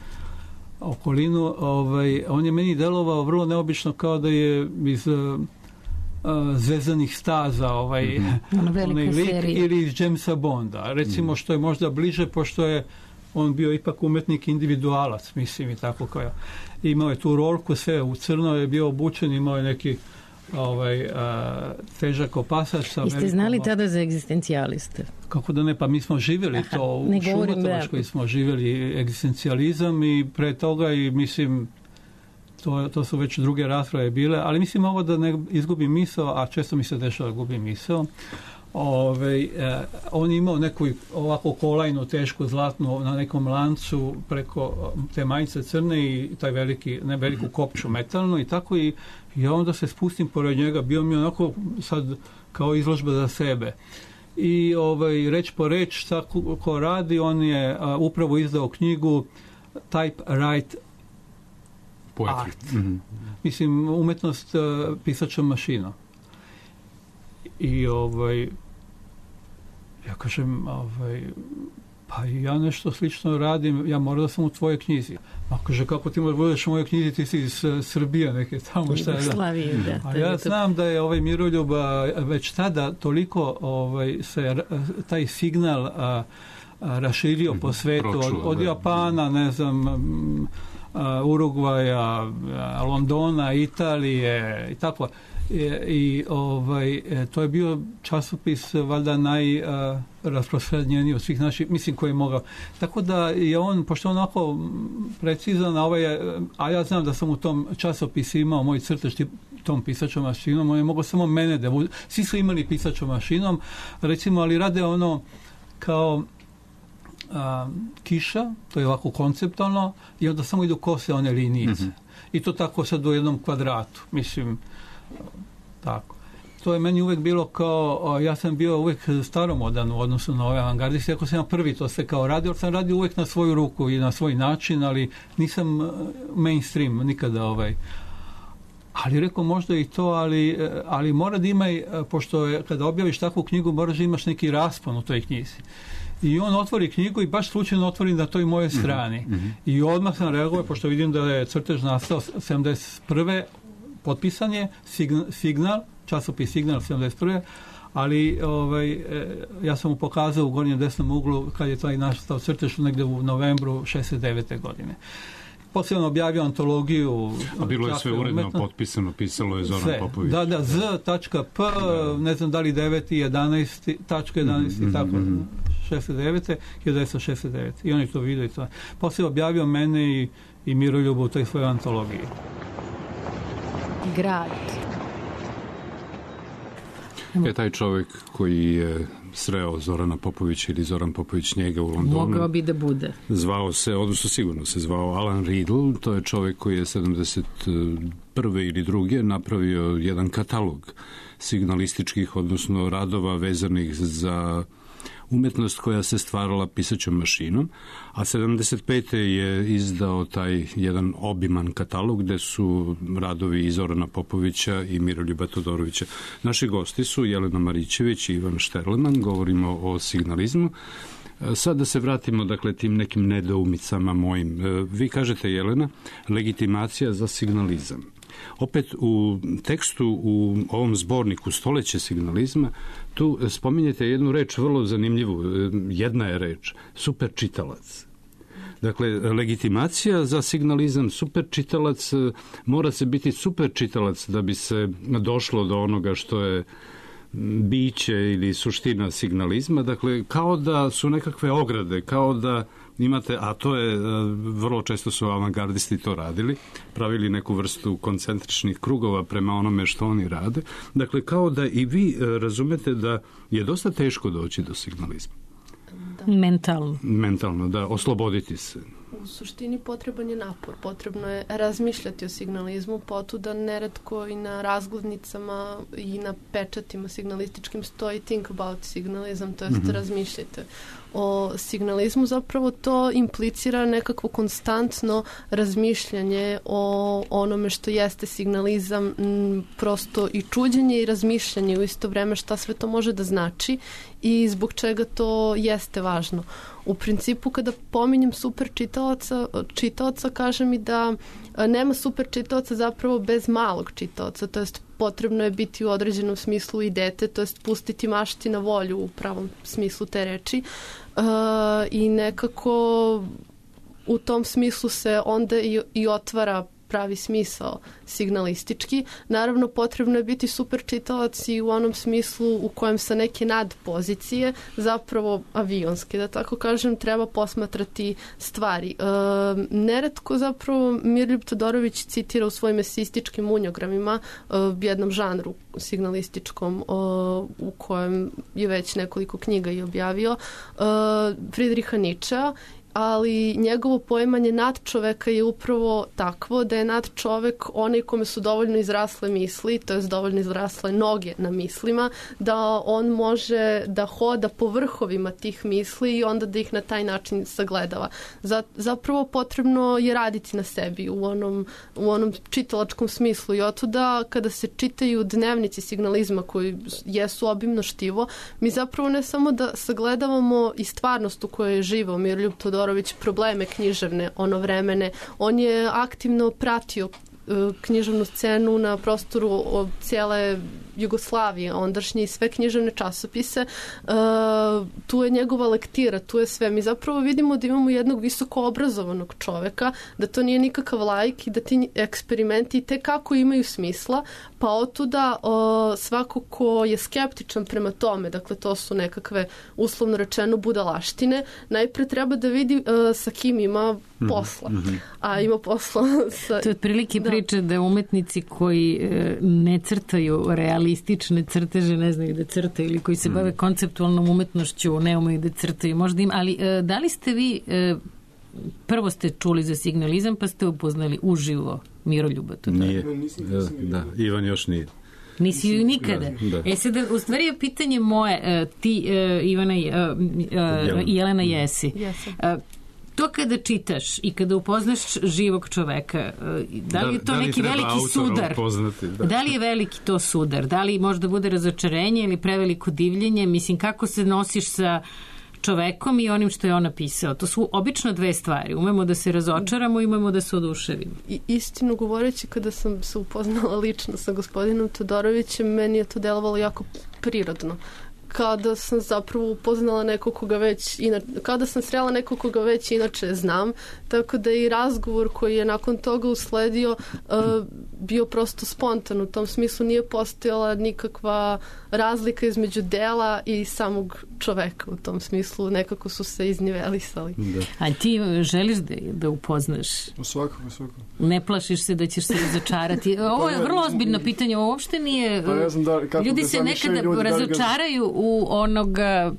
okolinu, ovaj, on je meni delovao vrlo neobično, kao da je iz uh, zvezanih staza ovaj, mm-hmm. onaj lik, ili iz Jamesa Bonda. Recimo, što je možda bliže, pošto je on bio ipak umetnik individualac, mislim, i tako kao ja. Imao je tu rolku, sve u crno je bio obučen, imao je neki ovaj, a, težak opasač. Sa Jeste velikom, znali tada za egzistencijaliste? Kako da ne, pa mi smo živjeli Aha, to u Šumatovačkoj, smo živjeli egzistencijalizam i pre toga i mislim to, to su već druge rasprave bile, ali mislim ovo da ne izgubim misao, a često mi se dešava da gubim misao. Ove, eh, on je imao neku ovako kolajnu tešku zlatnu na nekom lancu preko te majice crne i taj veliki, ne veliku kopču metalnu i tako i ja onda se spustim pored njega, bio mi onako sad kao izložba za sebe i ovaj, reč po reč šta ko, ko radi, on je a, upravo izdao knjigu Typewrite art. Mm-hmm. Mislim, umetnost uh, pisačom mašinom. I ovaj, ja kažem, ovaj, pa ja nešto slično radim, ja moram da sam u tvojoj knjizi. A kaže, kako ti možeš budeš u mojoj knjizi, ti si iz Srbije neke tamo šta je. Slavije, da. A ja znam da je ovaj Miroljub već tada toliko ovaj, se taj signal a, a, raširio po svetu, od, od Japana, ne znam, a, Urugvaja, a, Londona, Italije i tako. I, i ovaj, to je bio časopis valjda najrasprostranjeniji od svih naših, mislim, koji je mogao. Tako da je on, pošto on onako precizan, a, ovaj, a ja znam da sam u tom časopisu imao moj crtež tom pisačom mašinom, on je mogao samo mene da bude. Svi su imali pisačom mašinom, recimo, ali rade ono kao a, kiša, to je ovako konceptualno, i onda samo idu kose one linijice. Mm-hmm. I to tako sad u jednom kvadratu, mislim, tako. To je meni uvek bilo kao, ja sam bio uvek staromodan u odnosu na ove avangardiste, ako sam ja prvi to sve kao radio, sam radio uvek na svoju ruku i na svoj način, ali nisam mainstream nikada ovaj. Ali rekao, možda i to, ali, ali mora da ima, pošto je, kada objaviš takvu knjigu, moraš da imaš neki raspon u toj knjizi. I on otvori knjigu i baš slučajno otvori na toj moje strani. Mm-hmm. I odmah sam reagovao, pošto vidim da je crtež nastao sedamdeset prve potpisan je Signal, časopis Signal sedamdeset prve ali ovaj, ja sam mu pokazao u gornjem desnom uglu kad je taj nastao crtež negde u novembru šezdeset devete godine. Poslije on objavio antologiju. A bilo je sve uredno umetno. Potpisano, pisalo je Zoran sve. Popović. Da, da, z.p, ne znam da li devet jedanaest jedanaest mm-hmm. i tako, šezdeset devete hiljadu devetsto šezdeset devete I on je to vidio i to. Poslije objavio mene i, i Miroljubu u toj svojoj antologiji. Grad. Je taj čovjek koji je sreo Zorana Popovića ili Zoran Popović njega u Londonu. Mogao bi da bude. Zvao se, odnosno sigurno se zvao Alan Riddle, to je čovjek koji je sedamdeset prve ili druge napravio jedan katalog signalističkih, odnosno radova vezanih za umetnost koja se stvarala pisaćom mašinom, a sedamdeset pete je izdao taj jedan obiman katalog gde su radovi i Zorana Popovića i Miroljuba Todorovića. Naši gosti su Jelena Marićević i Ivan Šterleman, govorimo o signalizmu. Sad da se vratimo, dakle, tim nekim nedoumicama mojim. Vi kažete, Jelena, legitimacija za signalizam. Opet u tekstu, u ovom zborniku Stoleće signalizma, tu spominjete jednu reč vrlo zanimljivu. Jedna je reč, super čitalac. Dakle, legitimacija za signalizam, super čitalac, mora se biti super čitalac da bi se došlo do onoga što je biće ili suština signalizma. Dakle, kao da su nekakve ograde, kao da imate, a to je, vrlo često su avangardisti to radili, pravili neku vrstu koncentričnih krugova prema onome što oni rade. Dakle, kao da i vi razumete da je dosta teško doći do signalizma. Da. Mentalno. Mentalno, da, osloboditi se. U suštini potreban je napor, potrebno je razmišljati o signalizmu, potuda neretko i na razglednicama i na pečatima signalističkim stoji think about signalism, to jest mm-hmm. razmišljajte o signalizmu. Zapravo to implicira nekakvo konstantno razmišljanje o onome što jeste signalizam, m, prosto i čuđenje i razmišljanje u isto vreme šta sve to može da znači i zbog čega to jeste važno. U principu, kada pominjem super čitaoca, čitaoca, kaže mi da nema super čitaoca zapravo bez malog čitaoca, to jest potrebno je biti u određenom smislu i dete, to jest pustiti mašti na volju u pravom smislu te reči uh, i nekako u tom smislu se onda i, i otvara pravi smisao signalistički. Naravno, potrebno je biti super čitalac i u onom smislu u kojem sa neke nadpozicije, zapravo avionske, da tako kažem, treba posmatrati stvari. E, neretko zapravo Mirljub Todorović citira u svojim esističkim unjogramima e, jednom žanru signalističkom e, u kojem je već nekoliko knjiga i objavio, e, Friedricha Nietzschea, ali njegovo poimanje nadčoveka je upravo takvo da je nadčovek onaj kome su dovoljno izrasle misli, to je dovoljno izrasle noge na mislima, da on može da hoda po vrhovima tih misli i onda da ih na taj način sagledava. Zapravo potrebno je raditi na sebi u onom, u onom čitalačkom smislu i otuda kada se čitaju dnevnici signalizma koji jesu obimno štivo, mi zapravo ne samo da sagledavamo i stvarnost u kojoj je živao Miroljub Todorović, probleme književne, ono vremene, on je aktivno pratio književnu scenu na prostoru cijele Jugoslavije, ondašnje i sve književne časopise. Uh, tu je njegova lektira, tu je sve. Mi zapravo vidimo da imamo jednog visoko obrazovanog čoveka, da to nije nikakav laik i da ti eksperimenti tekako imaju smisla, pa otuda uh, svako ko je skeptičan prema tome, dakle to su nekakve uslovno rečeno budalaštine, najpre treba da vidi uh, sa kim ima posla. Mm-hmm. A ima posla sa... To je otprilike da. Priča da umetnici koji e, ne crtaju realistične crteže, ne znaju da crtaju, ili koji se mm. bave konceptualnom umetnošću, ne umeju da crtaju. Možda im, ali e, da li ste vi e, prvo ste čuli za signalizam pa ste upoznali uživo Miroljuba Todorovića? Nije. Da, Ivan još nije. Nisi ju nikada. Da, da. E sad, u stvari je pitanje moje, ti, Ivana i Jelena jesi. Jesam. To kada čitaš i kada upoznaš živog čoveka, da li je to da, da li neki veliki sudar? Upoznati, da. Da li je veliki to sudar? Da li možda bude razočarenje ili preveliko divljenje? Mislim, kako se nosiš sa čovekom i onim što je on napisao? To su obično dve stvari. Umemo da se razočaramo i umemo da se oduševimo. I istinu govoreći, kada sam se upoznala lično sa gospodinom Todorovićem, meni je to delovalo jako prirodno. Kada sam zapravo upoznala nekog koga već inače, kada sam srela nekog koga već inače znam, tako da i razgovor koji je nakon toga usledio uh, bio prosto spontan, u tom smislu nije postojala nikakva razlika između dela i samog čoveka, u tom smislu nekako su se iznivelisali. Da. A ti želiš da, da upoznaš? Svakako, svakako. Ne plašiš se da ćeš se razočarati? Ovo je vrlo ozbiljno pitanje, ovo uopšte nije... Pa ne znam da, kako ljudi da se nekada ljudi razočaraju da u onoga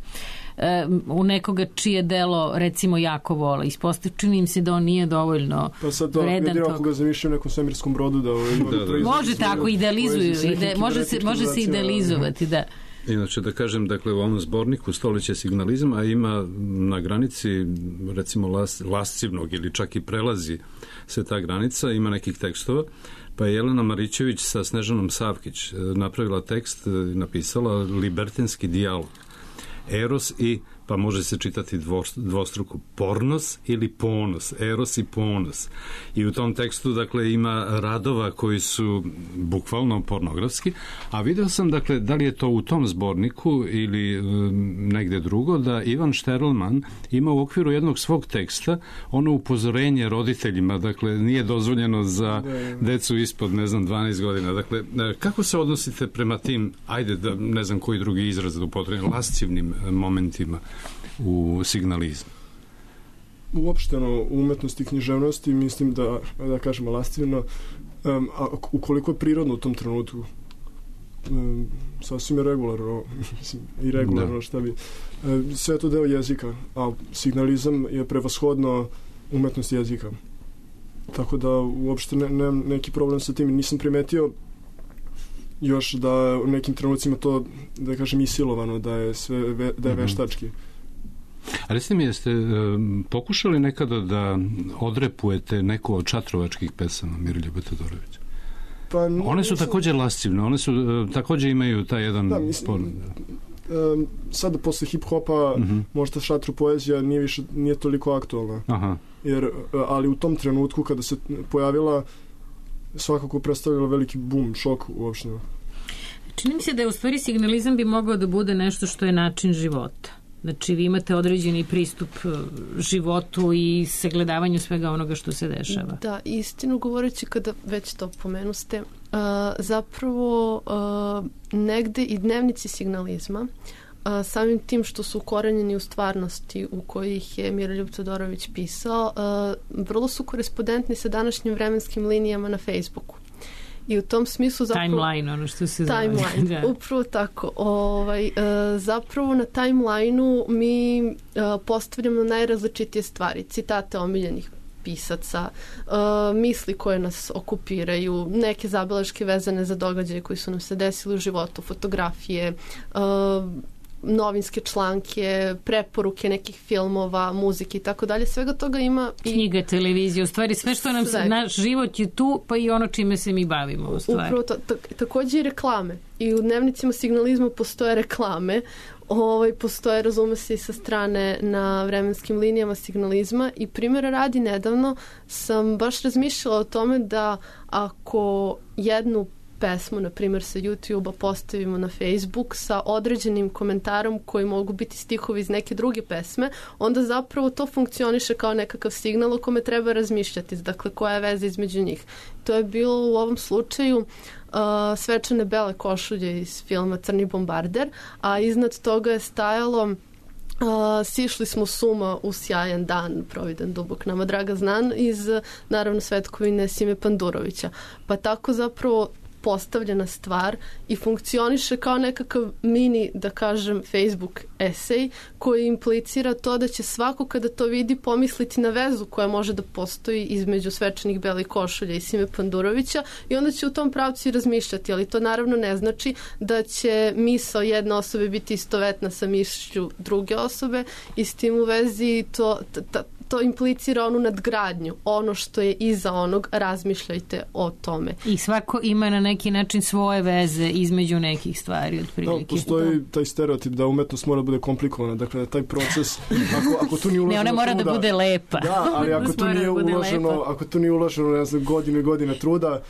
u nekoga čije delo recimo jako vole. Ispostavljeno čini im se da on nije dovoljno pa sad to, vredan toga. Ako ga zamišljaju u nekom svemirskom brodu da... da, da. Može tako, idealizuju. Ide, može se, može se idealizovati, da. Inače, da kažem, dakle, u ovom zborniku Stoljeće signalizma ima na granici, recimo, las, lascivnog ili čak i prelazi se ta granica, ima nekih tekstova, pa je Jelena Marićević sa Snežanom Savkić napravila tekst, napisala libertinski dijalog. Eros i, pa može se čitati dvostruko, pornos ili ponos, eros i ponos. I u tom tekstu, dakle, ima radova koji su bukvalno pornografski, a video sam, dakle, da li je to u tom zborniku ili um, negde drugo, da Ivan Šterlman ima u okviru jednog svog teksta ono upozorenje roditeljima, dakle, nije dozvoljeno za decu ispod, ne znam, dvanaest godina. Dakle, kako se odnosite prema tim, ajde, da ne znam koji drugi izraz da upotrebim, lascivnim momentima u signalizmu? Uopšteno u umetnosti i književnosti mislim da, da kažemo lascivno, um, a ukoliko je prirodno u tom trenutku, um, sasvim je regularno, mislim, i regularno, da. Šta bi, um, sve je to deo jezika, a signalizam je prevashodno umetnost jezika. Tako da uopšte ne, ne, neki problem sa tim. Nisam primetio još da u nekim trenucima to, da kažem, isilovano, da je sve ve, da je veštački. A recite mi, jeste um, pokušali nekada da odrepujete neku od čatrovačkih pesama Miroljuba Todorovića? Pa, one su mislim, također lascivne, one su uh, također imaju taj jedan... Da, mislim, spor, um, sada posle hip-hopa uh-huh. možda šatru poezija nije, više, nije toliko aktualna. Aha. Jer, ali u tom trenutku kada se pojavila, svakako predstavljala veliki boom, šok uopšte. Čini mi se da je u stvari signalizam bi mogao da bude nešto što je način života. Znači, vi imate određeni pristup životu i sagledavanju svega onoga što se dešava. Da, istinu govoreći, kada već to pomenuste, uh, zapravo uh, negde i dnevnici signalizma, uh, samim tim što su ukorenjeni u stvarnosti u kojih je Miroljub Todorović pisao, uh, vrlo su korespondentni sa današnjim vremenskim linijama na Facebooku. I u tom smislu zapravo... Timeline, ono što se zove. Timeline, da. Upravo tako. Ovaj, uh, zapravo na timeline-u mi uh, postavljamo najrazličitije stvari, citate omiljenih pisaca, uh, misli koje nas okupiraju, neke zabeleške vezane za događaje koji su nam se desili u životu, fotografije, uh, novinske članke, preporuke nekih filmova, muzike i tako dalje. Svega toga ima i... Knjige, televizije, u stvari sve što nam se, naš život je tu, pa i ono čime se mi bavimo u stvari. Upravo to, to, također i reklame. I u dnevnicima signalizma postoje reklame, ovaj, postoje, razume se, i sa strane na vremenskim linijama signalizma i primjera radi nedavno sam baš razmišljala o tome da ako jednu pesmu, na primjer sa YouTube-a, postavimo na Facebook sa određenim komentarom koji mogu biti stihovi iz neke druge pesme, onda zapravo to funkcioniše kao nekakav signal o kome treba razmišljati. Dakle, koja je veza između njih. To je bilo u ovom slučaju uh, svečane bele košulje iz filma Crni bombarder, a iznad toga je stajalo Uh, sišli smo s uma u sjajan dan, providan dubok nama draga znan, iz naravno svetkovine Sime Pandurovića. Pa tako zapravo postavljena stvar i funkcioniše kao nekakav mini, da kažem, Facebook esej koji implicira to da će svako kada to vidi pomisliti na vezu koja može da postoji između svečanih belih košulja i Sime Pandurovića i onda će u tom pravcu i razmišljati, ali to naravno ne znači da će misao jedne osobe biti istovetna sa mišlju druge osobe i s tim u vezi to, ta, to implicira onu nadgradnju, ono što je iza onog, razmišljajte o tome. I svako ima na neki način svoje veze između nekih stvari, otprilike. Da, postoji taj stereotip da umetnost mora da bude komplikovana, dakle da taj proces, ako, ako tu nije uloženo ne, ona mora truda, da bude lepa. Da, ali ako tu nije uloženo, ako tu nije uloženo, ne znam, godine i godine truda,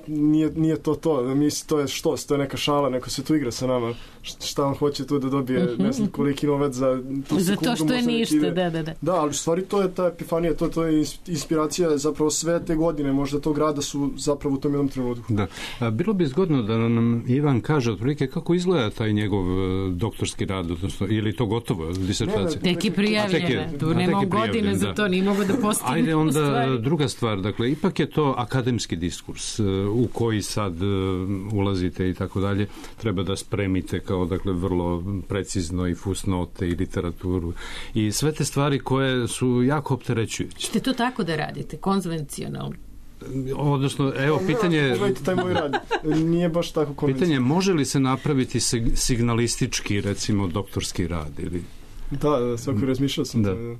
nije, nije to to, misli, to je što, to je neka šala, neko se tu igra sa nama, šta on hoće tu da dobije, ne znam koliki novac za tu za to što je ništa, da, da, da. Da, ali stvari to je ta epifanija, to, to je inspiracija, zapravo sve te godine, možda tog rada su zapravo u tom jednom trenutku. Da. A, bilo bi zgodno da nam Ivan kaže otprilike kako izgleda taj njegov doktorski rad, odnosno, ili to gotovo, disertacija? Tek je prijavljena, tu nema godine za to, nije mogo da postigne. Ajde onda druga stvar, dakle, ipak je to akademski diskurs u koji sad ulazite i tako dalje, treba da spremite kao, dakle, vrlo precizno i fusnote i literaturu i sve te stvari koje su jako opterećujuće. Ćete to tako da radite, konvencionalno? Odnosno, evo, pitanje... Pogledajte taj moj rad, nije baš tako konvencionalno. Pitanje, može li se napraviti signalistički, recimo, doktorski rad? Ili... Da, da, svako razmišljao sam. Da. To,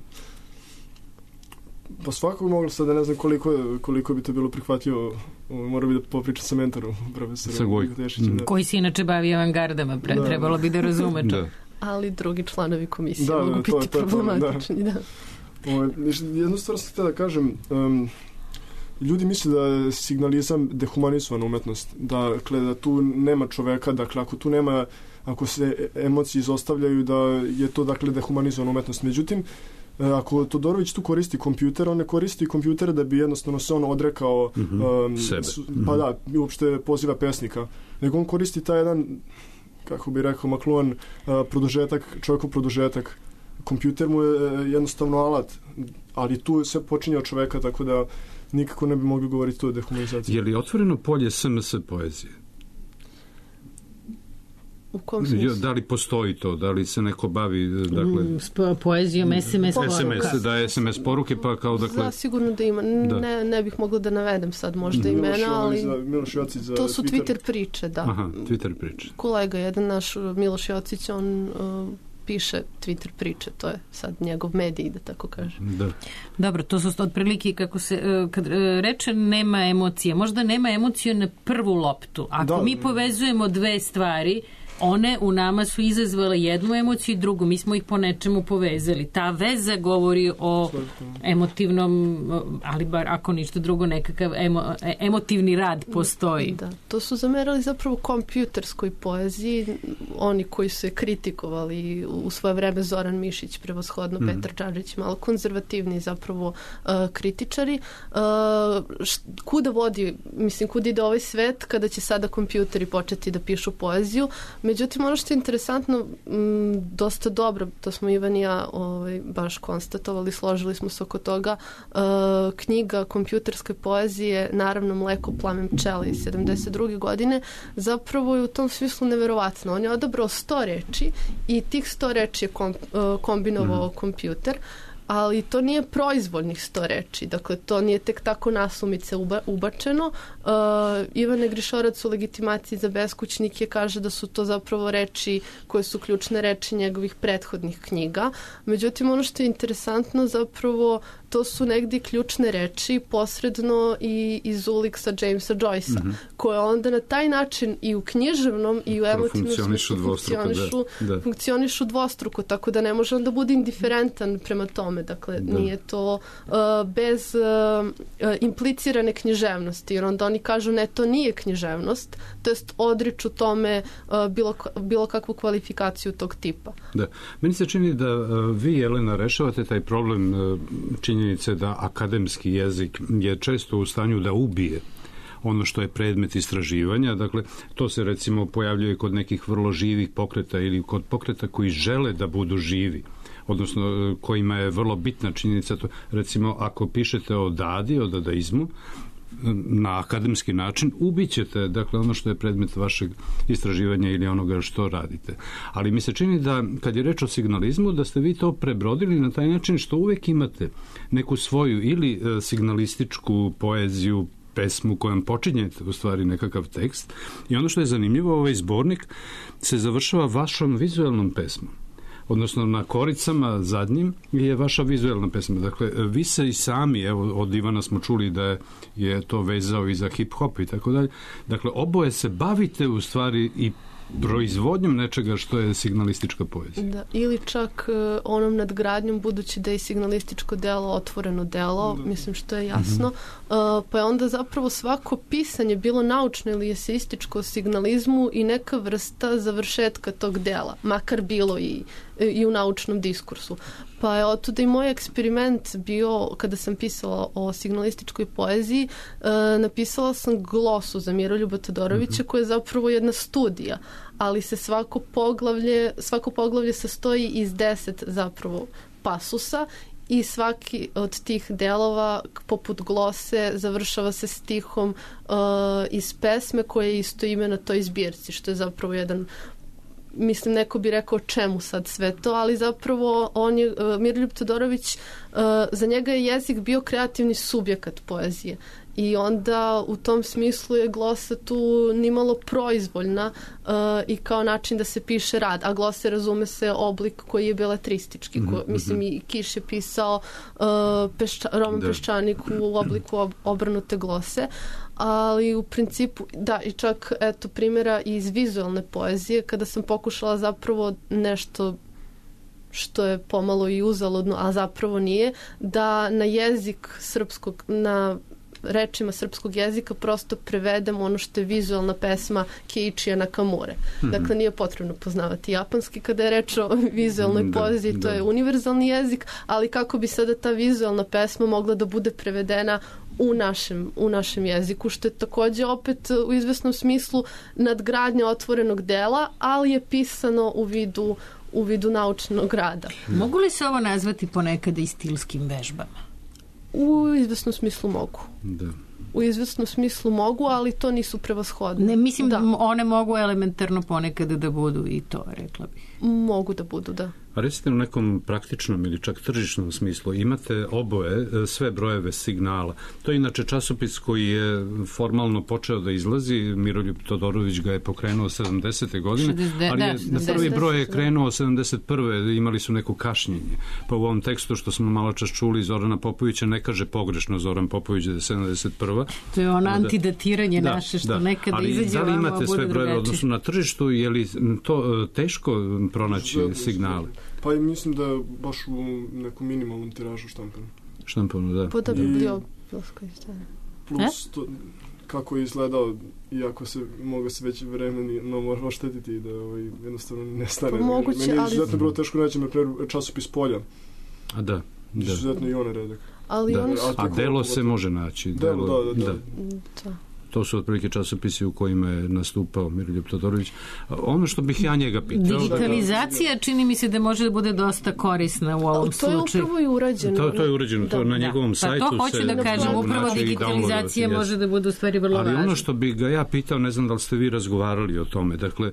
pa svakog moglo sad da ne znam koliko, koliko bi to bilo prihvatljivo, mora bi da popričam sa mentorom, profesorom Tešićem. Da. Koji se inače bavi avangardama, pre, da, trebalo bi da razume to. Da. Ali drugi članovi komisije da, mogu da, biti to, to, problematični. Da. Da. O, jednu stvar sam htio da kažem, um, ljudi misle da je signalizam dehumanizovana umetnost, dakle da tu nema čoveka, dakle ako tu nema, ako se emocije izostavljaju, da je to, dakle, dehumanizovana umetnost. Međutim, ako Todorović tu koristi kompjuter, on ne koristi kompjuter da bi jednostavno se on odrekao mm-hmm. um, sebe. Pa da, uopšte poziva pesnika. Nego on koristi taj jedan, kako bi rekao McLuhan, uh, produžetak, čovjekov produžetak. Kompjuter mu je jednostavno alat, ali tu sve počinje od čoveka, tako da nikako ne bi mogli govoriti o dehumanizaciji. Je li otvoreno polje S M S poezije? U kom smislu? Da li postoji to? Da li se neko bavi, dakle... Mm, poezijom, S M S poruka. S M S, da je S M S poruke, pa kao, dakle... Da, sigurno da ima. Da. Ne, ne bih mogla da navedem sad možda Miloš, imena, ali... Za, Miloš Jocić za to su Twitter. Twitter priče, da. Aha, Twitter priče. Kolega, jedan naš Miloš Jocić, on... Uh, piše Twitter priče, to je sad njegov medij, da tako kažem. Da. Dobro, to su otprilike kako se, kad reče nema emocije, možda nema emocije na prvu loptu. Ako da, mi povezujemo dve stvari, one u nama su izazvale jednu emociju i drugu, mi smo ih po nečemu povezali. Ta veza govori o emotivnom, ali bar ako ništa drugo, nekakav emo, emotivni rad postoji. Da, to su zamerali zapravo kompjuterskoj poeziji, oni koji su je kritikovali u svoje vreme, Zoran Mišić prevashodno, mm. Petar Čađić, malo konzervativni zapravo uh, kritičari. Uh, št, kuda vodi, mislim, kuda ide ovaj svet kada će sada kompjuteri početi da pišu poeziju? međutim, ono što je interesantno, m, dosta dobro, to smo Ivan i ja ovaj, baš konstatovali, složili smo se oko toga, uh, knjiga kompjuterske poezije, naravno Mleko, plamen, pčele iz sedamdeset druge godine, zapravo je u tom smislu neverovatno. On je odabrao sto reči i tih sto reči je kom, uh, kombinovao mm. kompjuter, ali to nije proizvoljnih sto reči, dakle to nije tek tako nasumice uba, ubačeno. Uh, Ivan Negrišorac u legitimaciji za beskućnike kaže da su to zapravo reči koje su ključne reči njegovih prethodnih knjiga. Međutim, ono što je interesantno zapravo, to su negdje ključne reči posredno i iz Uliksa Jamesa Joycea, mm-hmm. koje onda na taj način i u književnom i u emotivnom funkcionišu dvostruko, funkcionišu, da. funkcionišu dvostruko, tako da ne može onda bude indiferentan prema tome. Dakle, da. Nije to uh, bez uh, uh, implicirane književnosti, jer onda oni kažu ne, to nije književnost, to jest odriču tome uh, bilo, bilo kakvu kvalifikaciju tog tipa. Da. Meni se čini da uh, vi, Jelena, rešavate taj problem uh, činjenice da akademski jezik je često u stanju da ubije ono što je predmet istraživanja. Dakle, to se recimo pojavljuje kod nekih vrlo živih pokreta ili kod pokreta koji žele da budu živi, odnosno kojima je vrlo bitna činjenica. To, recimo, ako pišete o dadi, o dadaizmu, na akademski način, ubićete, dakle, ono što je predmet vašeg istraživanja ili onoga što radite. Ali mi se čini da, kad je reč o signalizmu, da ste vi to prebrodili na taj način što uvek imate neku svoju ili signalističku poeziju, pesmu kojom počinjete u stvari nekakav tekst, i ono što je zanimljivo, ovaj zbornik se završava vašom vizualnom pesmom. Odnosno na koricama zadnjim je vaša vizualna pesma. Dakle, vi se i sami, evo od Ivana smo čuli da je, je to vezao i za hip-hop i tako dalje. Dakle, oboje se bavite u stvari i proizvodnjom nečega što je signalistička poezija. Da, ili čak uh, onom nadgradnjom, budući da je signalističko delo otvoreno delo, da. Mislim što je jasno, mm-hmm. uh, pa je onda zapravo svako pisanje, bilo naučno ili eseističko o signalizmu, i neka vrsta završetka tog dela, makar bilo i, i u naučnom diskursu. Pa je otuda i moj eksperiment bio, kada sam pisala o signalističkoj poeziji, uh, napisala sam glosu za Miroljuba Todorovića, mm-hmm. koja je zapravo jedna studija, ali se svako poglavlje, svako poglavlje sastoji iz deset zapravo pasusa, i svaki od tih delova, poput glose, završava se stihom uh, iz pesme koja je isto ime na toj zbirci, što je zapravo jedan, mislim, neko bi rekao čemu sad sve to, ali zapravo on je, uh, Miroljub Todorović, uh, za njega je jezik bio kreativni subjekat poezije. I onda u tom smislu je glosa tu nimalo proizvoljna uh, i kao način da se piše rad, a glose razume se oblik koji je beletristički. Ko, mm-hmm. Mislim, i Kiš je pisao uh, pešča, roman da. Peščanik u obliku ob, obrnute glose, ali u principu, da, i čak eto primjera iz vizualne poezije, kada sam pokušala zapravo nešto što je pomalo i uzaludno, a zapravo nije, da na jezik srpskog, na rečima srpskog jezika prosto prevedem ono što je vizualna pesma Keiichija Nakamure. Mm-hmm. Dakle, nije potrebno poznavati japanski kada je reč o vizualnoj da, poeziji, to da. Je univerzalni jezik, ali kako bi sada ta vizualna pesma mogla da bude prevedena u našem, u našem jeziku, što je također opet u izvesnom smislu nadgradnja otvorenog dela, ali je pisano u vidu, u vidu naučnog rada. Mogu li se ovo nazvati ponekada i stilskim vežbama? U izvesnom smislu mogu. Da. U izvesnom smislu mogu, ali to nisu prevashodne. Ne, mislim da one mogu elementarno ponekada da budu i to, rekla bih. Mogu da budu, da. A recite u nekom praktičnom ili čak tržišnom smislu, imate oboje sve brojeve signala. To je inače časopis koji je formalno počeo da izlazi, Miroljub Todorović ga je pokrenuo sedamdesete godine, šezdeset, ali je na prvi broj je krenuo sedamdeset prve imali su neko kašnjenje. Pa u ovom tekstu što smo malo čas čuli Zorana Popovića ne kaže pogrešno Zoran Popović da je sedamdeset prva. To je ono antidatiranje da, naše što da. Nekada ali izađe vama, ali imate sve brojeve odnosno na tržištu, je li to teško pronaći signale? Pa i mislim da je baš u nekom minimalnom tiražu štampano. Štampano, da. Puta bibliopilsko izdanje. Plus to, kako je izgledao, iako se mogu se već vremeni no, mora oštetiti da ovaj, jednostavno ne stane. Pa moguće, meni je ali... izuzetno bilo teško naći me časopis Polja. A da. Da. Izuzetno i one redak. Ali da. on... A delo se može naći. Delo, da, da. da. da. To su otprilike časopisi u kojima je nastupao Miroljub Todorović. Ono što bih ja njega pitao... Digitalizacija čini mi se da može da bude dosta korisna u ovom slučaju. To je upravo i urađeno. To, to je urađeno, to na njegovom pa sajtu to hoću se... da kažem, upravo digitalizacija može da bude u stvari vrlo važna. Ali ono što bih ga ja pitao, ne znam da li ste vi razgovarali o tome, dakle,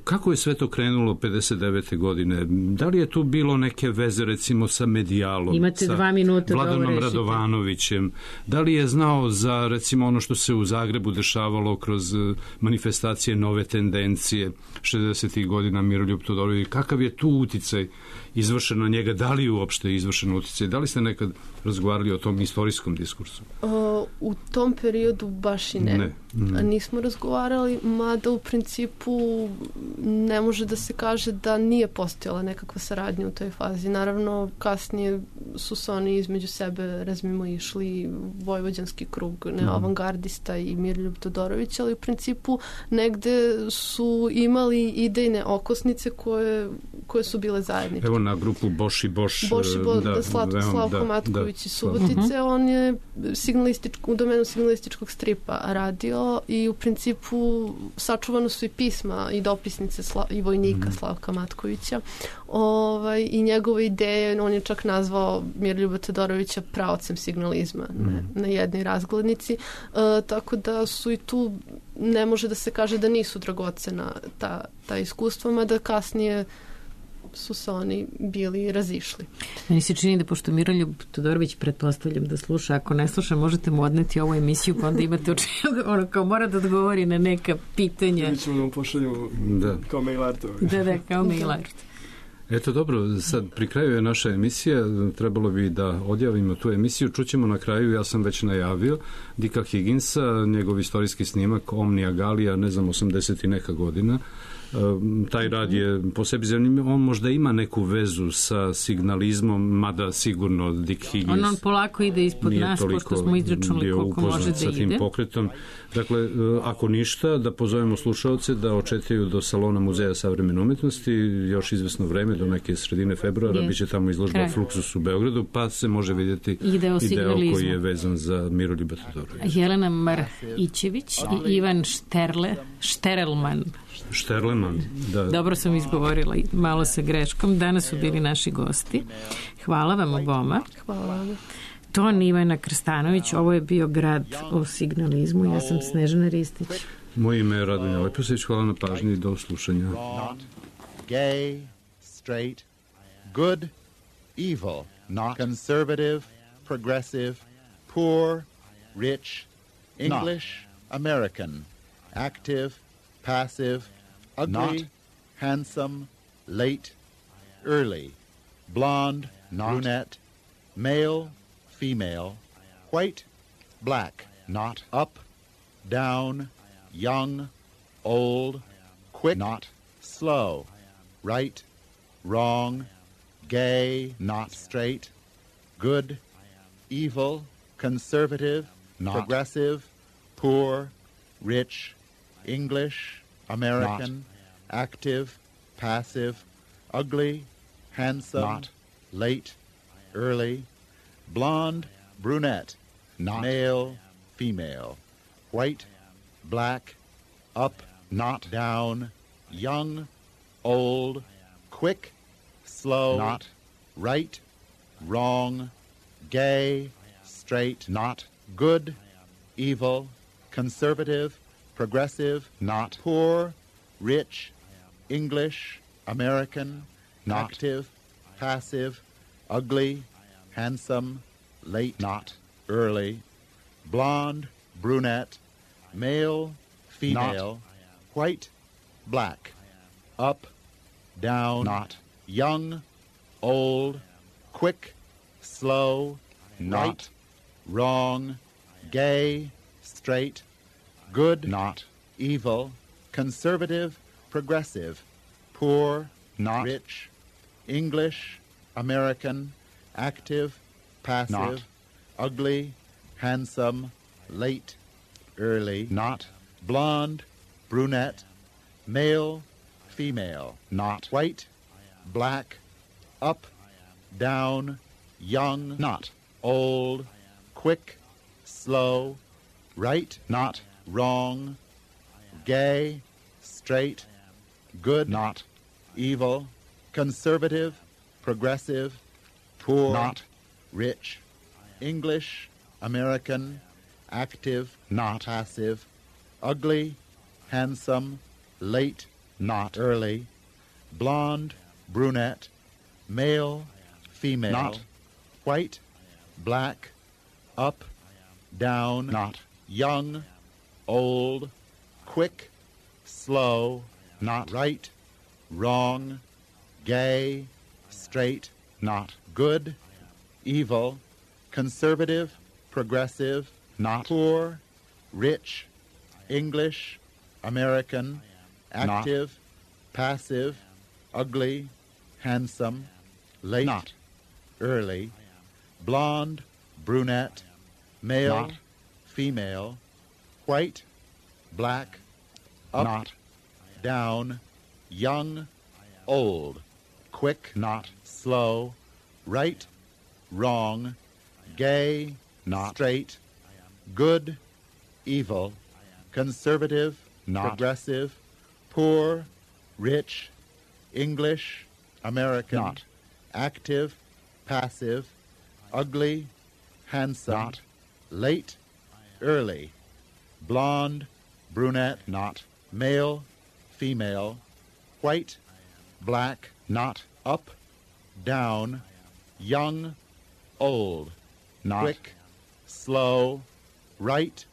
kako je sve to krenulo pedeset devete godine? Da li je tu bilo neke veze, recimo, sa Medijalom, imate sa dva minuta Vladanom Radovanovićem? Da li je znao za, recimo, ono što se u Zagrebu dešavalo kroz manifestacije Nove tendencije šezdesetih godina Miroljub Todorović? Kakav je tu uticaj izvršen na njega? Da li je uopšte izvršen uticaj? Da li ste nekad razgovarali o tom istorijskom diskursu? O, u tom periodu baš i ne. ne. Mm. Nismo razgovarali, mada u principu ne može da se kaže da nije postojala nekakva saradnja u toj fazi. Naravno, kasnije su se oni između sebe razmimo išli vojvođanski krug, ne, mm. avangardista i Miroljub Todorović, ali u principu negde su imali idejne okosnice koje, koje su bile zajedničke. Evo na grupu Boš i Boš. Boš i Boš, da, Slav, da, Slavko da, Matković da, i Subotice, uh-huh. on je signalističko, u domenu signalističkog stripa radio i u principu sačuvano su i pisma i dopisnice Sla, i vojnika uh-huh. Slavka Matkovića. Ovaj, i njegove ideje, on je čak nazvao Miroljuba Todorovića praocem signalizma uh-huh. ne, na jednoj razglednici. Uh, tako da su i tu, ne može da se kaže da nisu dragocena ta, ta iskustva, mada kasnije su se oni bili razišli. Meni se čini da pošto Miroljub Todorović, pretpostavljam da sluša, ako ne sluša možete mu odneti ovu emisiju pa onda imate o čemu, ono kao mora da odgovori na neka pitanja. Mi ćemo da mu pošaljemo da. kao mail art. Da, da, kao mail art. Eto dobro, sad pri kraju je naša emisija, trebalo bi da odjavimo tu emisiju, čućemo na kraju, ja sam već najavio, Dicka Higginsa, njegov istorijski snimak Omnia Gallia, ne znam, osamdeset i neka godina. Taj rad je po sebi zanimljiv, on možda ima neku vezu sa signalizmom, mada sigurno Dick Higgins on, on polako ide ispod nas, pošto smo izračunali koliko može da sa tim ide. Pokretom. Dakle, ako ništa, da pozovemo slušaoce da očekaju do Salona Muzeja savremene umetnosti još izvesno vreme, do neke sredine februara, yes. biće tamo izložba Kraj. Fluxus u Beogradu, pa se može vidjeti ideo, ideo koji je vezan za Miroljuba Todorovića. Jelena Marhićević i Ivan Šterle, Šterelman. Šterleman, da. Dobro sam izgovorila, malo sa greškom. Danas su bili naši gosti. Hvala vam oboma. Hvala vam. Ton Ivana Krstanović, ovo je bio Grad o signalizmu. Ja sam Snežana Ristić. Moje ime je Radonja Leposić. Hvala na pažnji i do slušanja. Not gay, straight, good, evil, not conservative, progressive, poor, rich, English, American, active, passive, ugly, not handsome, late, early, blonde, not brunette, male, female, white, black, not up, down, young, old, quick, not slow, right, wrong, gay, not straight, good, evil, conservative, not progressive, poor, rich, English, American, not active, passive, ugly, handsome, not late, early, blonde, brunette, not male, female, white, black, up, not down, young, old, quick, slow, not right, wrong, gay, straight, not good, evil, conservative, progressive, not poor, rich, English, American, not active, passive, ugly, handsome, late, not early, blonde, brunette, male, female, not white, black, up, down, not young, old, quick, slow, not right, wrong, gay, straight, good, not evil, conservative, progressive, poor, not rich, English, American, active, passive, not ugly, handsome, late, early, not blonde, brunette, male, female, not white, black, up, down, young, not old, quick, slow, right, not wrong, gay, straight, good, not, evil, conservative, progressive, poor, not, rich, English, American, active, not, passive, ugly, handsome, late, not, early, blonde, brunette, male, female, not, white, black, up, down, not, young, old, quick, slow, not, right, wrong, gay, straight, not, good, evil, conservative, progressive, not, poor, rich, English, American, active, passive, ugly, handsome, late, not, early, blonde, brunette, male, not, female, white, black, up, not, down, young, old, quick, not, slow, right, wrong, gay, not, straight, good, evil, conservative, not, progressive, poor, rich, English, American, not, active, passive, ugly, handsome, not, late, early, blonde, brunette, not, male, female, white, black, not, up, down, young, old, not, quick, slow, right,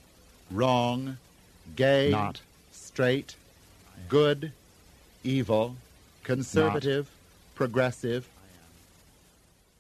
wrong, gay, not, straight, good, evil, conservative, progressive,